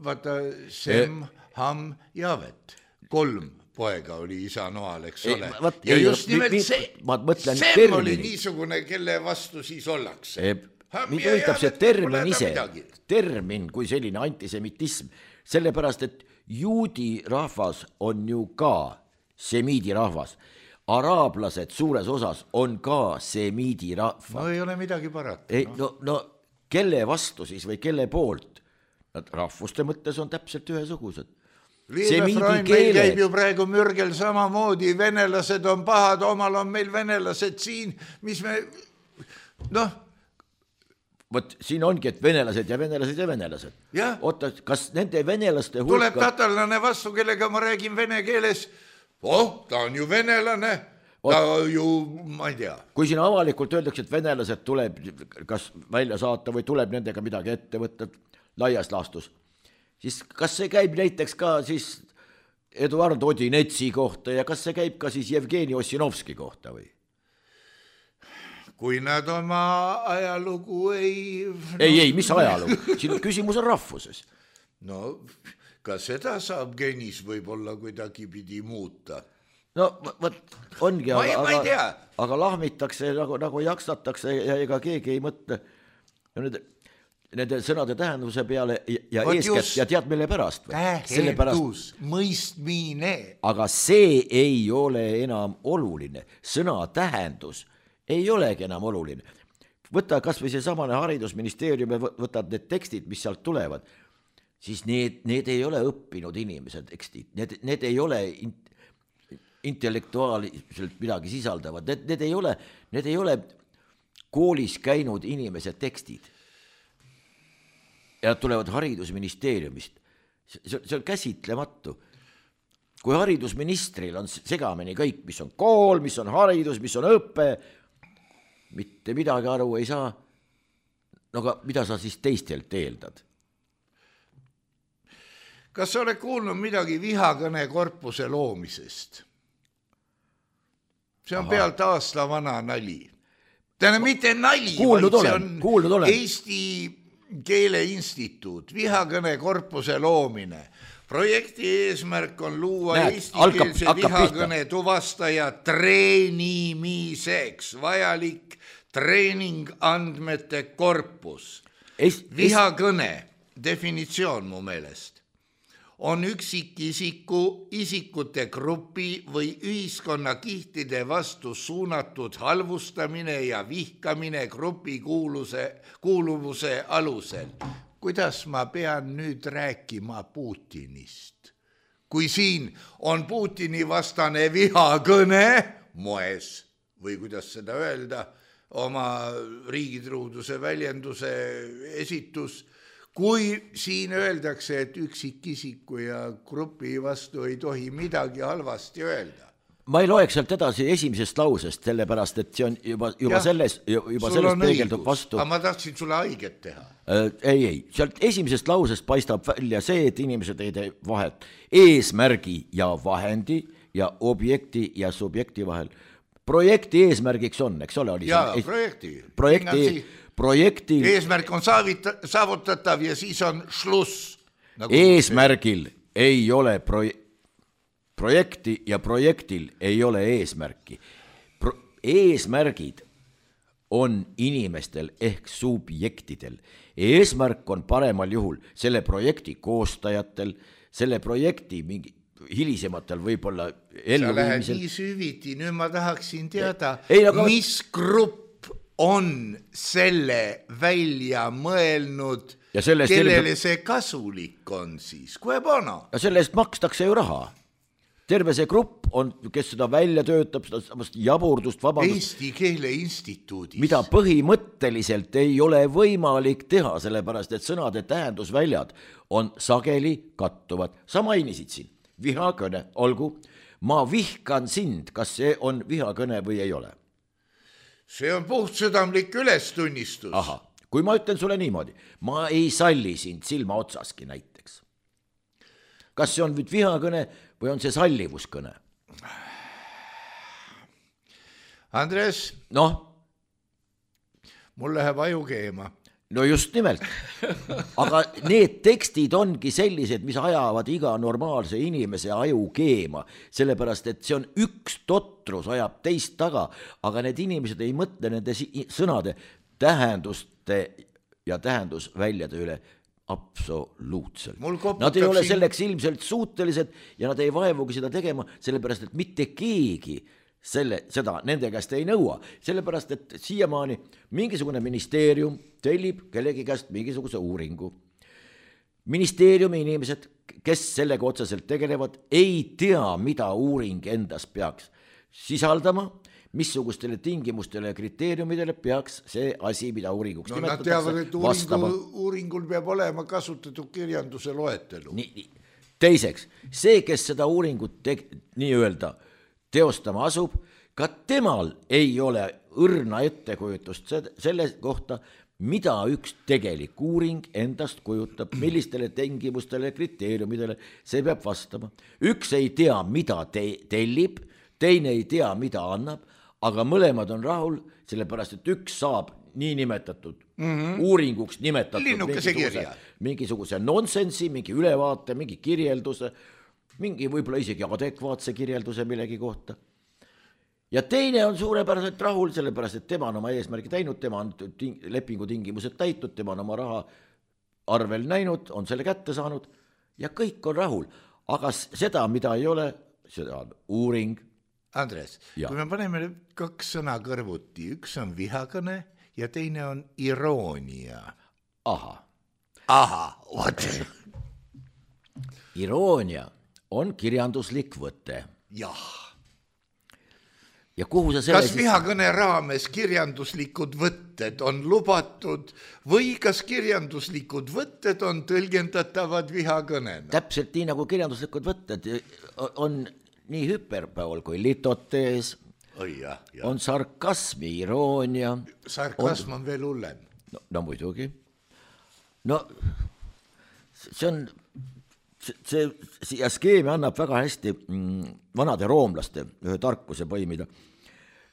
vaata, Sem, Ham, Javet. kolm poega oli isa noal, eks Ei, ole. Võt, ja ei, just nimelt mi, see, see see oli niisugune, kelle vastu siis ollakse. Mind ühitab see termin ise, termin kui selline antisemitism, sellepärast, et juudi rahvas on ju ka semiidi rahvas. Araablased suures osas on ka semiidi rahvas. No ei ole midagi parata. Ei, no, no kelle vastu siis või kelle poolt? Nad rahvuste mõttes on täpselt ühesugused. Liive Freund, meil käib ju praegu mürgel samamoodi, venelased on pahad, omal on meil venelased siin, mis me, noh. Vot siin ongi, et venelased ja venelased ja venelased. Ja. Oota, kas nende venelaste hulka... Tuleb tatallane vastu, kellega ma räägin vene keeles, oh, ta on ju venelane, ta Ot... ju, ma ei tea. Kui siin avalikult öeldakse, et venelased tuleb kas välja saata või tuleb nendega midagi ette võtta laias laastus, siis kas see käib näiteks ka siis Eduard Odinetsi kohta ja kas see käib ka siis Jevgeni Ossinovski kohta või? Kui nad oma ajalugu ei... No... Ei, ei, mis ajalugu? Siin küsimus on rahvuses. No, ka seda saab genis võib-olla kuidagi pidi muuta. No, võt, ongi, ma ei, aga, ma ei tea. aga lahmitakse, nagu, nagu jaksatakse ja ega keegi ei mõtle. Nende, nende sõnade tähenduse peale ja Võt eeskätt just, ja tead mille pärast? Tähendus, mõistmine. Aga see ei ole enam oluline. Sõna tähendus ei olegi enam oluline. Võta kas või see samane haridusministeeriumi, võtad need tekstid, mis sealt tulevad, siis need, need ei ole õppinud inimesed tekstid. Need, need ei ole intellektuaalselt midagi sisaldavad. Need, need, ei ole, need ei ole koolis käinud inimesed tekstid. Ja nad tulevad haridusministeeriumist. See, see on käsitlematu. Kui haridusministril on segamini kõik, mis on kool, mis on haridus, mis on õppe, mitte midagi aru ei saa, no aga mida sa siis teistelt eeldad? Kas sa oled kuulnud midagi vihakõne korpuse loomisest? See on Aha. pealt aasta vana nali. Täna mitte nali, kuulnud vaid olen, see on olen. Eesti Keele Instituut, vihakõne korpuse loomine. Projekti eesmärk on luua eestikeelse vihakõne tuvastaja treenimiseks vajalik treening andmete korpus. Es, vihakõne definitsioon mu meelest on üksikisiku, isikute grupi või ühiskonnakihtide vastu suunatud halvustamine ja vihkamine grupi kuuluse, kuuluvuse alusel. Kuidas ma pean nüüd rääkima Putinist? Kui siin on Putini vastane vihakõne moes, või kuidas seda öelda, oma riigitruuduse väljenduse esitus, kui siin öeldakse, et üksikisiku ja grupi vastu ei tohi midagi halvasti öelda. Ma ei loeks sealt edasi esimesest lausest, sellepärast, et see on juba, juba ja, selles, juba selles peegeldub vastu. Aga ma tahtsin sulle haiget teha. Äh, ei, ei, sealt esimesest lausest paistab välja see, et inimesed ei tee vahet eesmärgi ja vahendi ja objekti ja subjekti vahel. Projekti eesmärgiks on, eks ole? Oli jaa, see, projekti. Projekti, projekti. Eesmärk on saavita, saavutatav ja siis on šluss. Nagu eesmärgil see. Ei ole projekti. Projekti ja projektil ei ole eesmärki. Pro- eesmärgid on inimestel ehk subjektidel. Eesmärk on paremal juhul selle projekti koostajatel, selle projekti mingi hilisematel võib-olla elluviimisel. Sa lähed nii süviti, nüüd ma tahaksin teada, ei, aga... mis grupp on selle välja mõelnud, kellele see kasulik on siis, kui bono? Ja selle eest makstakse ju raha. Terve see grupp on, kes seda välja töötab, seda jaburdust, vabandust. Eesti Keele Instituudis. Mida põhimõtteliselt ei ole võimalik teha, sellepärast, et sõnade tähendusväljad on sageli kattuvad. Sa mainisid siin, vihakõne, olgu, ma vihkan sind, kas see on vihakõne või ei ole? See on puhtsõdamlik ülestunnistus. Aha, kui ma ütlen sulle niimoodi, ma ei salli sind silma otsaski näiteks. Kas see on nüüd vihakõne või on see sallivuskõne? Andres, noh, mul läheb aju keema. no just nimelt, aga need tekstid ongi sellised, mis ajavad iga normaalse inimese aju keema, sellepärast et see on üks totrus, ajab teist taga, aga need inimesed ei mõtle nende sõnade tähenduste ja tähendusväljade üle absoluutselt. Nad ei ole selleks ilmselt suutelised ja nad ei vaevugi seda tegema, sellepärast et mitte keegi selle, seda nende käest ei nõua, sellepärast et siiamaani mingisugune ministeerium tellib kellegi käest mingisuguse uuringu. Ministeeriumi inimesed, kes sellega otseselt tegelevad, ei tea, mida uuring endas peaks sisaldama, missugustele tingimustele ja kriteeriumidele peaks see asi, mida uuringuks no, nimetatakse, teavad, et uuringu, uuringul peab olema kasutatud kirjanduse loetelu. Nii, nii. Teiseks, see, kes seda uuringut te, nii-öelda teostama asub, ka temal ei ole õrna ettekujutust selle kohta, mida üks tegelik uuring endast kujutab, millistele tingimustele, kriteeriumidele see peab vastama. Üks ei tea, mida te, tellib, teine ei tea, mida annab, aga mõlemad on rahul, sellepärast, et üks saab nii nimetatud mm-hmm. uuringuks nimetatud mingisuguse, mingisuguse nonsensi, mingi ülevaate, mingi kirjelduse, mingi võib-olla isegi adekvaatse kirjelduse millegi kohta. Ja teine on suurepäraselt rahul, sellepärast, et tema on oma eesmärgi täinud, tema on ting- lepingu tingimused täitud, tema on oma raha arvel näinud, on selle kätte saanud ja kõik on rahul. Aga seda, mida ei ole, seda on uuring. Andres, ja. Kui me paneme kaks sõna kõrvuti, üks on vihakõne ja teine on iroonia. Aha. Aha, what? Iroonia on kirjanduslik võte. Jah. Ja kuhu sa selle kas vihakõne raames kirjanduslikud võtted on lubatud või kas kirjanduslikud võtted on tõlgendatavad vihakõnena? Täpselt nii, nagu kirjanduslikud võtted on nii hüperpool kui litotees, Oi, jah, jah. on sarkasmi, iroonia. Sarkasm on, on veel hullem. No, no muidugi. No see on... see, see skeemi annab väga hästi mm, vanade roomlaste ühe tarkuse põimida,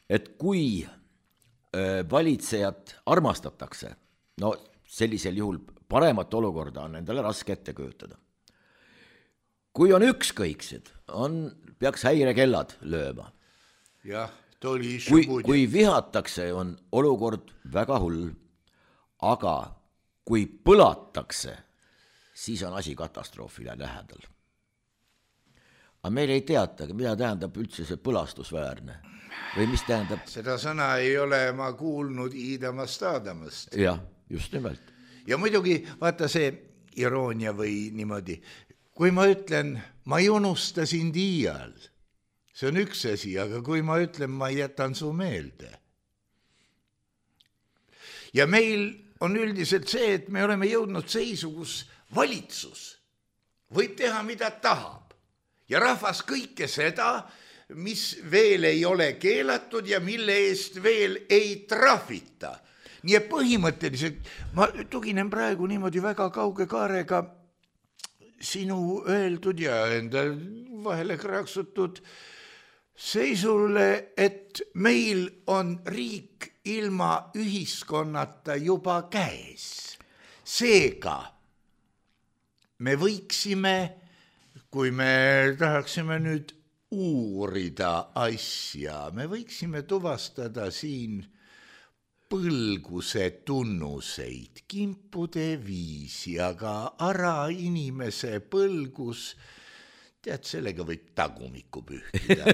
et kui äh, valitsejat armastatakse, no sellisel juhul paremat olukorda on endale raske ette kujutada. Kui on ükskõiksed, on, peaks häirekellad lööma. Jah, tuli kui, kui vihatakse, on olukord väga hull, aga kui põlatakse, siis on asi katastroofile lähedal. Aga meil ei teata, mida tähendab üldse see põlastusväärne või mis tähendab... Seda sõna ei ole ma kuulnud iidamast aadamast. Jah, just nimelt. Ja muidugi, vaata see iroonia või niimoodi, kui ma ütlen, ma ei unusta sind iial, see on üks asi, aga kui ma ütlen, ma jätan su meelde. Ja meil on üldiselt see, et me oleme jõudnud seisu, kus valitsus võib teha, mida tahab. Ja rahvas kõike seda, mis veel ei ole keelatud ja mille eest veel ei trahvita. Nii et põhimõtteliselt, ma tuginen praegu niimoodi väga kauge kaarega sinu öeldud ja enda vahele kraaksutud seisule, et meil on riik ilma ühiskonnata juba käes. Seega me võiksime, kui me tahaksime nüüd uurida asja, me võiksime tuvastada siin põlguse tunnuseid, kimpude viisi, aga ära inimese põlgus, tead, sellega võib tagumikku pühkida.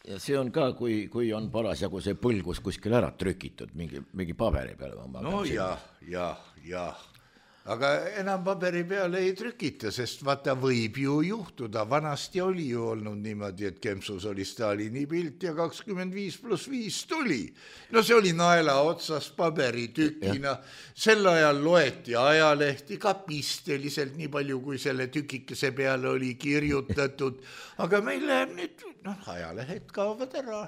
Ja see on ka, kui, kui on parasjagu see põlgus kuskil ära trükitud mingi, mingi paberi peale. No jah, jah, jah. Aga enam paberi peale ei trükita, sest vaata võib ju juhtuda. Vanasti oli ju olnud niimoodi, et kempsus oli Stalini pilt ja kakskümmend viis pluss viis tuli. No see oli naela otsas paberitükina. Sel ajal loeti ajalehti ka pisteliselt nii palju, kui selle tükikese peale oli kirjutatud. Aga meil läheb nüüd, noh, ajalehed kaovad ära.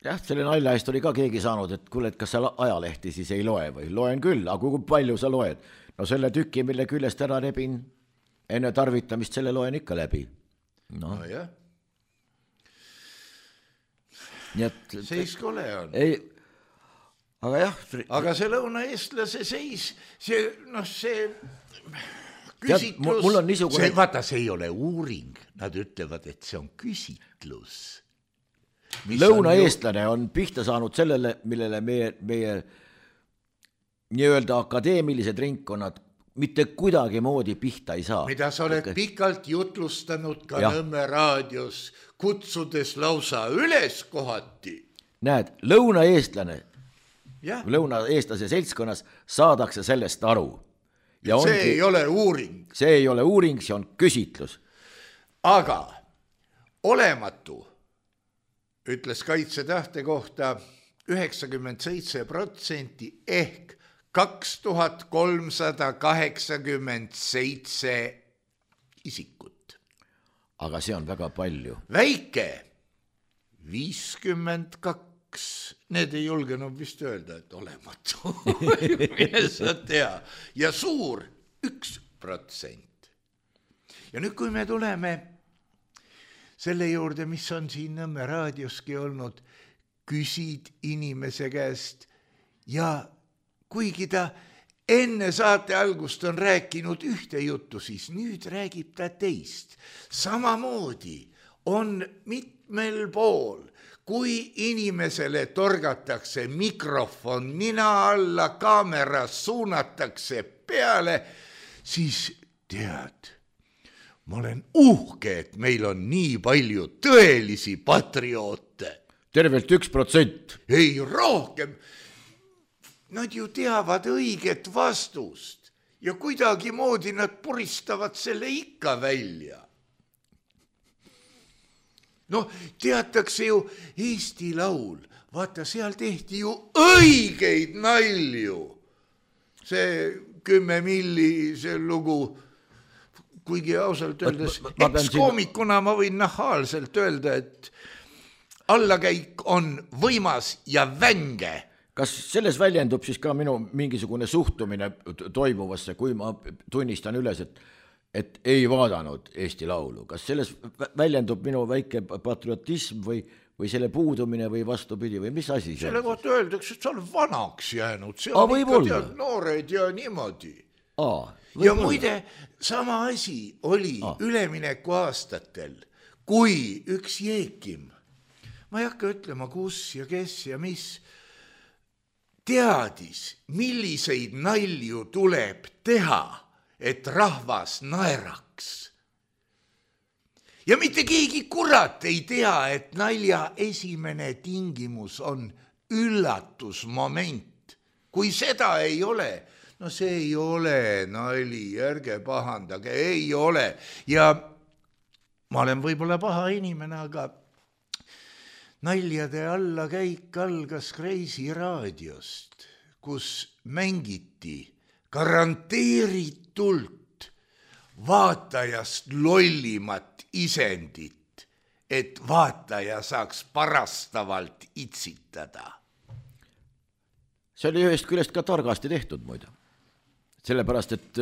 Jah, selle nalja eest oli ka keegi saanud, et kuule, et kas sa ajalehti siis ei loe või? Loen küll, aga kui palju sa loed? No selle tüki, mille küljest ära rebin, enne tarvitamist selle loen ikka läbi. No, no jah. Nii et... Seiskole on. Ei, aga jah. aga see lõunaeestlase seis, see, noh, see küsitlus, mul on niisugune... see, vaata, see ei ole uuring, nad ütlevad, et see on küsitlus. Lõunaeestlane on, ju... on pihta saanud sellele, millele meie, meie nii-öelda akadeemilised ringkonnad mitte kuidagi moodi pihta ei saa. Mida sa oled pikalt jutlustanud ka ja. Nõmme raadios, kutsudes lausa üles kohati. Näed, lõunaeestlane, ja. lõunaeestlase seltskonnas saadakse sellest aru. Ja see ongi, ei ole uuring. See ei ole uuring, see on küsitlus. Aga olematu, ütles kaitsetahte kohta üheksakümmend seitse protsenti ehk kaks tuhat kolmsada kaheksakümmend seitse isikut. Aga see on väga palju. Väike viiskümmend kaks. Need ei julgenud vist öelda, et olematu. Mine sa tea. Ja suur üks protsent. Ja nüüd, kui me tuleme selle juurde, mis on siin Nõmme raadioski olnud, küsid inimese käest ja kuigi ta enne saate algust on rääkinud ühte juttu, siis nüüd räägib ta teist. Samamoodi on mitmel pool, kui inimesele torgatakse mikrofon nina alla, kaameras suunatakse peale, siis tead, ma olen uhke, et meil on nii palju tõelisi patrioote. Tervelt üks protsent. Ei, rohkem. Nad ju teavad õiget vastust ja kuidagi moodi nad puristavad selle ikka välja. No, teatakse ju Eesti laul. Vaata, seal tehti ju õigeid nalju. See kümme milli, see lugu, kuigi ausalt öeldes, ekskoomikuna ma võin nahaalselt öelda, et allakäik on võimas ja vänge. Kas selles väljendub siis ka minu mingisugune suhtumine toimuvasse, kui ma tunnistan üles, et et ei vaadanud Eesti laulu. Kas selles väljendub minu väike patriotism või, või selle puudumine või vastupidi või mis asi? Selle kohta öeldakse, et sa oled vanaks jäänud. See on A, ikka tead noored ja niimoodi. A, ja muide, sama asi oli A. ülemineku aastatel, kui üks Jeekim, ma ei hakka ütlema, kus ja kes ja mis, teadis, milliseid nalju tuleb teha, et rahvas naeraks. Ja mitte keegi kurat ei tea, et nalja esimene tingimus on üllatusmoment. Kui seda ei ole, no see ei ole nali, ärge pahandage, ei ole. Ja ma olen võib-olla paha inimene, aga naljade alla käik algas Kreisi raadiost, kus mängiti garanteeritult vaatajast lollimat isendit, et vaataja saaks parastavalt itsitada. See oli ühest küljest ka targasti tehtud muide. Sellepärast, et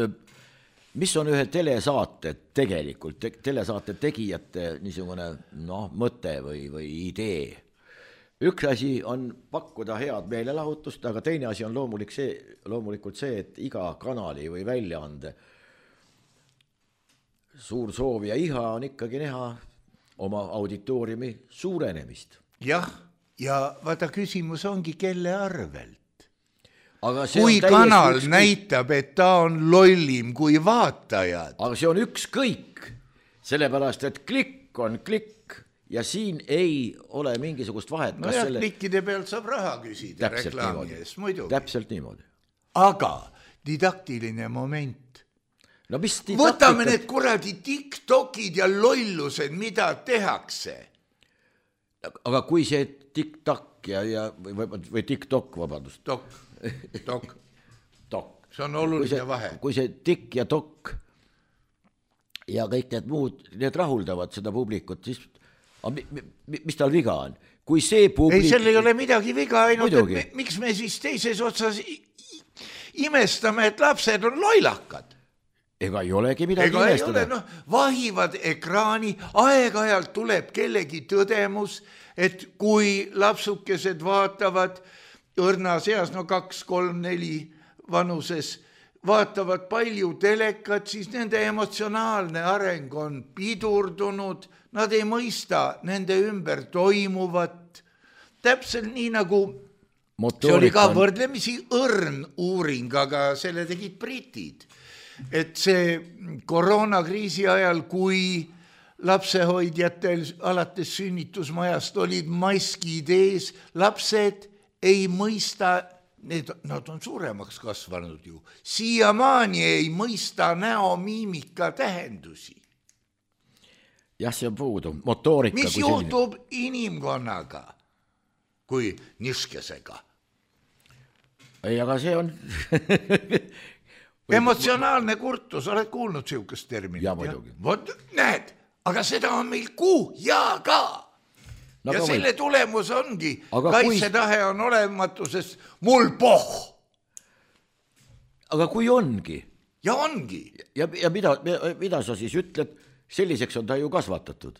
mis on ühe telesaate tegelikult, te, telesaate tegijate niisugune noh, mõte või, või idee. Üks asi on pakkuda head meelelahutust, aga teine asi on loomulik see, loomulikult see, et iga kanali või väljaande suur soov ja iha on ikkagi näha oma auditooriumi suurenemist. Jah, ja vaata küsimus ongi, kelle arvelt. Aga kui kanal ükskõik... näitab, et ta on lollim kui vaatajad. Aga see on ükskõik, sellepärast, et klikk on klikk. Ja siin ei ole mingisugust vahet. No jah, selle... klikkide pealt saab raha küsida reklaami ees, muidugi. Täpselt niimoodi. Aga didaktiline moment. No mis didaktika... Võtame need kuradi tiktokid ja lollused, mida tehakse. Aga kui see tiktak ja, ja, või, või tiktok, vabandust. Tok, tok. Tok. See on oluline see, vahe. Kui see tik ja tok ja kõik need muud, need rahuldavad seda publikut, siis mis tal viga on? Kui see publik... Ei, seal ei ole midagi viga, ainult, et me, miks me siis teises otsas imestame, et lapsed on loilakad? Ega ei olegi midagi Ega imestada. Ei ole, no, vahivad ekraani, aeg-ajalt tuleb kellegi tõdemus, et kui lapsukesed vaatavad õrnas eas, no kaks, kolm, neli vanuses, vaatavad palju telekat, siis nende emotsionaalne areng on pidurdunud, nad ei mõista nende ümber toimuvat. Täpselt nii nagu see oli ka võrdlemisi õrn uuring, aga selle tegid britid. Et see koroonakriisi ajal, kui lapsehoidjatel alates sünnitusmajast olid maskid ees, lapsed ei mõista, need, nad on suuremaks kasvanud ju, siiamaani ei mõista näomiimika tähendusi. Jah, see on puudu, motoorika. Mis juhtub inimkonnaga kui niskesega? Ei, aga see on... emotsionaalne kurtus, oled kuulnud siukest terminit? Ja muidugi. Vot, näed, aga seda on meil kuu ja ka. No, ja selle või... tulemus ongi, kaitsetahe kui... on olematu, sest mul poh. Aga kui ongi? Ja ongi. Ja, ja mida, mida sa siis ütled, selliseks on ta ju kasvatatud.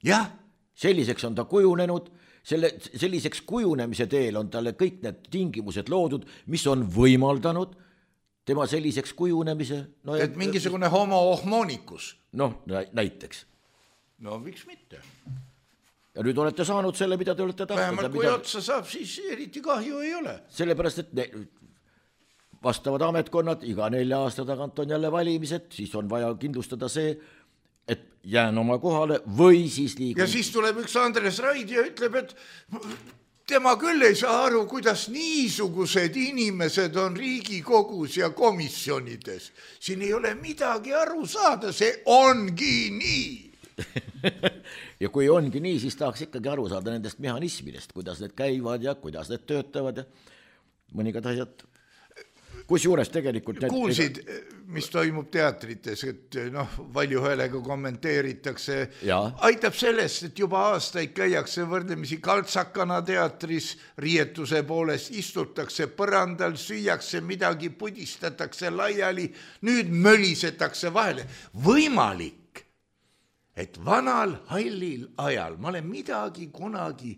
Jah. Selliseks on ta kujunenud, selle, selliseks kujunemise teel on talle kõik need tingimused loodud, mis on võimaldanud tema selliseks kujunemise. No, et ja, mingisugune homo ohmonikus. Noh, näiteks. No miks mitte? Ja nüüd olete saanud selle, mida te olete tahtnud. Vähemalt kui mida... otsa saab, siis eriti kahju ei ole. Sellepärast, et ne... vastavad ametkonnad, iga nelja aasta tagant on jälle valimised, siis on vaja kindlustada see, et jään oma kohale või siis liigun. Ja siis tuleb üks Andres Raid ja ütleb, et tema küll ei saa aru, kuidas niisugused inimesed on Riigikogus ja komisjonides. Siin ei ole midagi aru saada, see ongi nii. Ja kui ongi nii, siis tahaks ikkagi aru saada nendest mehhanismidest, kuidas need käivad ja kuidas need töötavad ja mõningad asjad. Kus juures tegelikult... Kuulsid, mis toimub teatrites, et noh, valju häälega kommenteeritakse. Ja. Aitab sellest, et juba aastaid käiakse võrdlemisi kaltsakana teatris, riietuse poolest istutakse põrandal, süüakse midagi, pudistatakse laiali, nüüd mölisetakse vahele. Võimalik, et vanal hallil ajal, ma olen midagi kunagi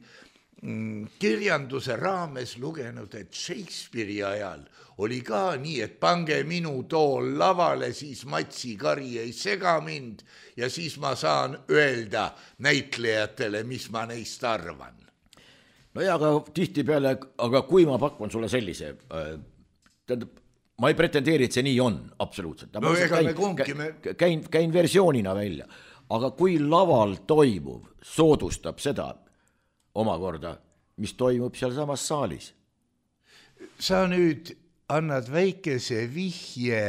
kirjanduse raames lugenud, et Shakespeare'i ajal oli ka nii, et pange minu tool lavale, siis Matsi Kari ei sega mind ja siis ma saan öelda näitlejatele, mis ma neist arvan. No ja, aga tihti peale, aga kui ma pakun sulle sellise, tähendab, ma ei pretendeeri, et see nii on, absoluutselt. No ega me kumki me... Käin, käin versioonina välja, aga kui laval toimuv soodustab seda omakorda, mis toimub seal samas saalis. Sa nüüd annad väikese vihje.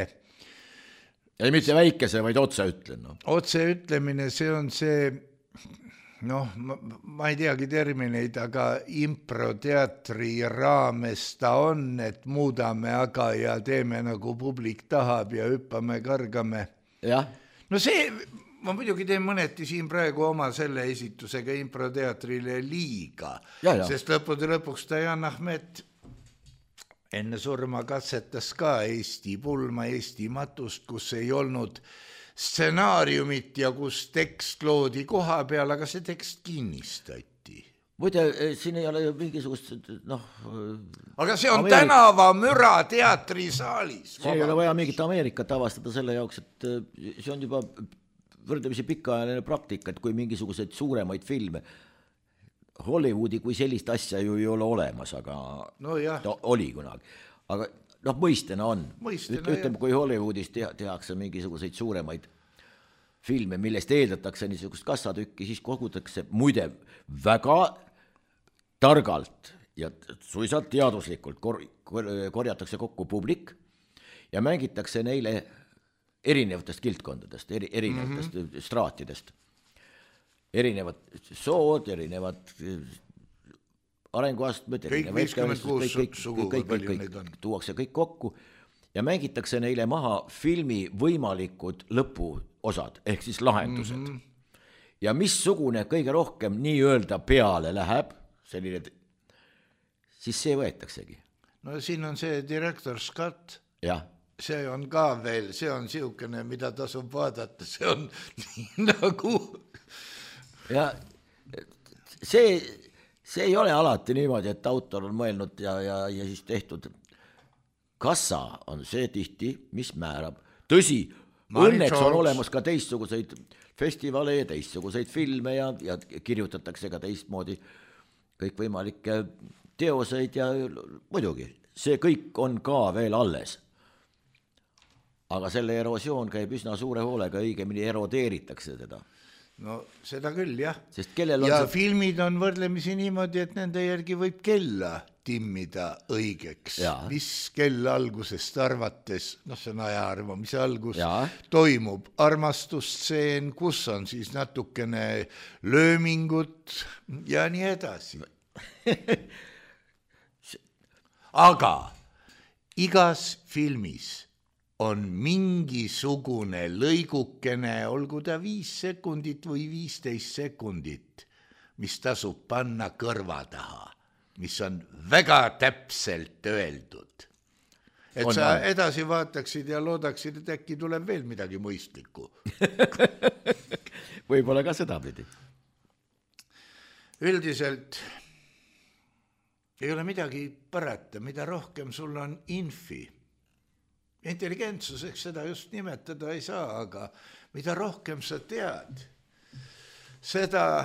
Ei mitte väikese, vaid otse ütlen. No. Otse ütlemine, see on see, noh, ma, ma ei teagi termineid, aga improteatri raames ta on, et muudame aga ja teeme nagu publik tahab ja hüppame, kargame. Jah. No see... Ma muidugi teen mõneti siin praegu oma selle esitusega improteatrile liiga, ja, ja. Sest lõppude lõpuks Dajan Ahmet enne surma katsetas ka Eesti pulma, Eesti matust, kus ei olnud stsenaariumit ja kus tekst loodi koha peal, aga see tekst kinnistati. Muide, siin ei ole mingisugust, noh... Aga see on Ameerika... tänava müra teatrisaalis. See ei ole vaja mingit Ameerikat avastada selle jaoks, et see on juba... võrdlemisi pikaajaline praktika, et kui mingisuguseid suuremaid filme, Hollywoodi kui sellist asja ju ei ole olemas, aga no ta oli kunagi. Aga noh, mõistena on. Mõistena, Ütleme, kui Hollywoodis tehakse mingisuguseid suuremaid filme, millest eeldatakse niisugust kassatükki, siis kogutakse muide väga targalt ja suisa teaduslikult kor- korjatakse kokku publik ja mängitakse neile erinevatest kildkondadest, eri, erinevatest mm -hmm. straatidest. Erinevad sood, erinevad arenguastmed, kõik viiskümmend kuus sugu, kõik, kõik, kõik, kõik tuuakse kõik kokku ja mängitakse neile maha filmi võimalikud lõpuosad, ehk siis lahendused. Mm -hmm. Ja missugune kõige rohkem nii öelda peale läheb, selline, siis see võetaksegi. No siin on see direktor Scott. Jah. See on ka veel, see on siukene, mida tasub vaadata, see on nii nagu... Ja see, see ei ole alati niimoodi, et autor on mõelnud ja, ja, ja siis tehtud. Kassa on see tihti, mis määrab. Tõsi, õnneks on olemas ka teistsuguseid festivale ja teistsuguseid filme ja, ja kirjutatakse ka teistmoodi kõikvõimalikke teoseid ja muidugi, see kõik on ka veel alles. Aga selle erosioon käib üsna suure hoolega, õigemini erodeeritakse seda. No seda küll, jah. Sest kellel on ja see... filmid on võrdlemisi niimoodi, et nende järgi võib kella timmida õigeks. Ja. Mis kell algusest arvates, noh see on aja arvamise algus, ja. Toimub armastusstseen, kus on siis natukene löömingut ja nii edasi. Aga igas filmis on mingisugune lõigukene, olgu ta viis sekundit või viisteist sekundit, mis tasub panna kõrva taha, mis on väga täpselt öeldud. Et on, sa on. Edasi vaataksid ja loodaksid, et äkki tuleb veel midagi mõistlikku. Võib-olla ka seda pidi. Üldiselt ei ole midagi parata, mida rohkem sul on infi. Intelligentsuseks seda just nimetada ei saa, aga mida rohkem sa tead, seda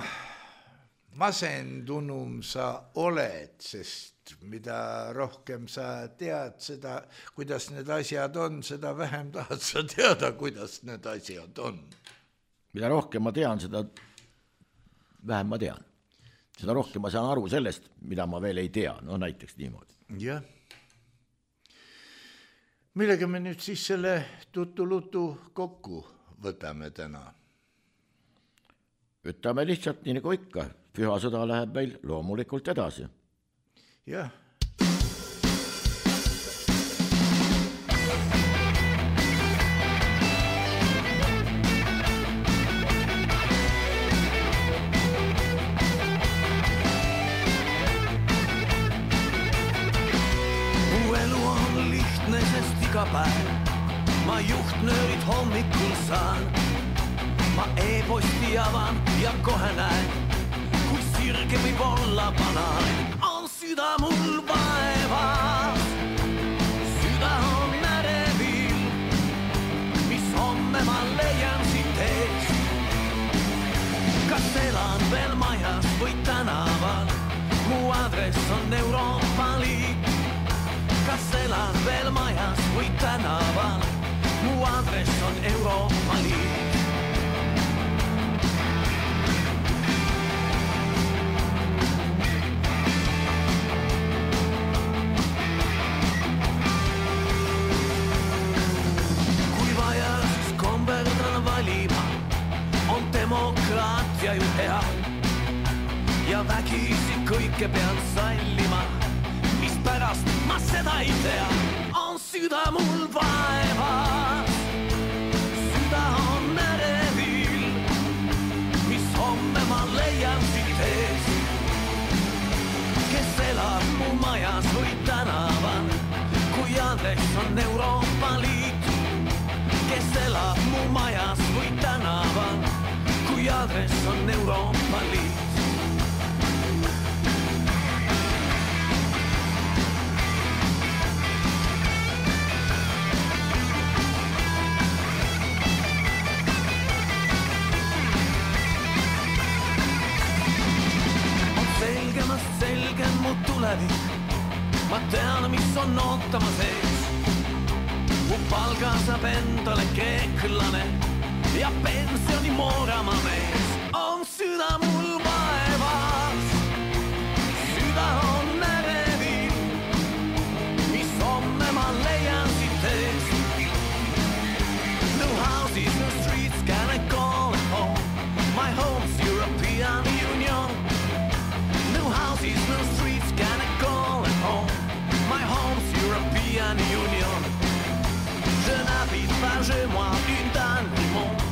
masendunum sa oled, sest mida rohkem sa tead seda, kuidas need asjad on, seda vähem tahad sa teada, kuidas need asjad on. Mida rohkem ma tean, seda vähem ma tean. Seda rohkem ma saan aru sellest, mida ma veel ei tea, no näiteks niimoodi. Jah. Millega me nüüd siis selle tutu-lutu kokku võtame täna? Võtame lihtsalt nii nagu ikka. Pühasõda läheb meil loomulikult edasi. Jah. Päev. Ma juhtnöörid hommikul saan, ma e-posti avan ja kohe näen, kui sirge võib olla banaan. On süda mul vaevas, süda on närevil, mis homme ma leian siit ees. Kas elan veel majas või tänaval, mu adress on Euroopa Liit. Kas elan veel majas või tänaval, mu adress on Euroopa Liit. Kui vaja, siis komberdan valima, on demokraatia ju hea ja vägisi kõike pean sallima. Pärast ma seda ei tea, on süda mul vaevas, süda on närevil, mis homme ma leian siit ees. Kes elab mu majas või tänaval, kui adress on Euroopa Liit. Kes elab mu majas või tänaval, kui adress on Euroopa Liit. Ma tean, mis on ootama sees. Mu palga saab endale kreeklane ja pensioni moorama mees. On süda mul vaevas, süda on närevil, mis homme ma leian siit ees. No houses, no streets, can I call it home? My home's European Union. No houses, no streets, can I call it home? My home's European Union. Je n'habite pas chez moi une dans le monde.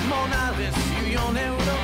Mon adresse Union Euro.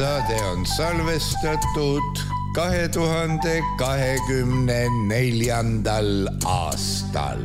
saade on salvestatud kahe tuhande kahekümne neljandal aastal.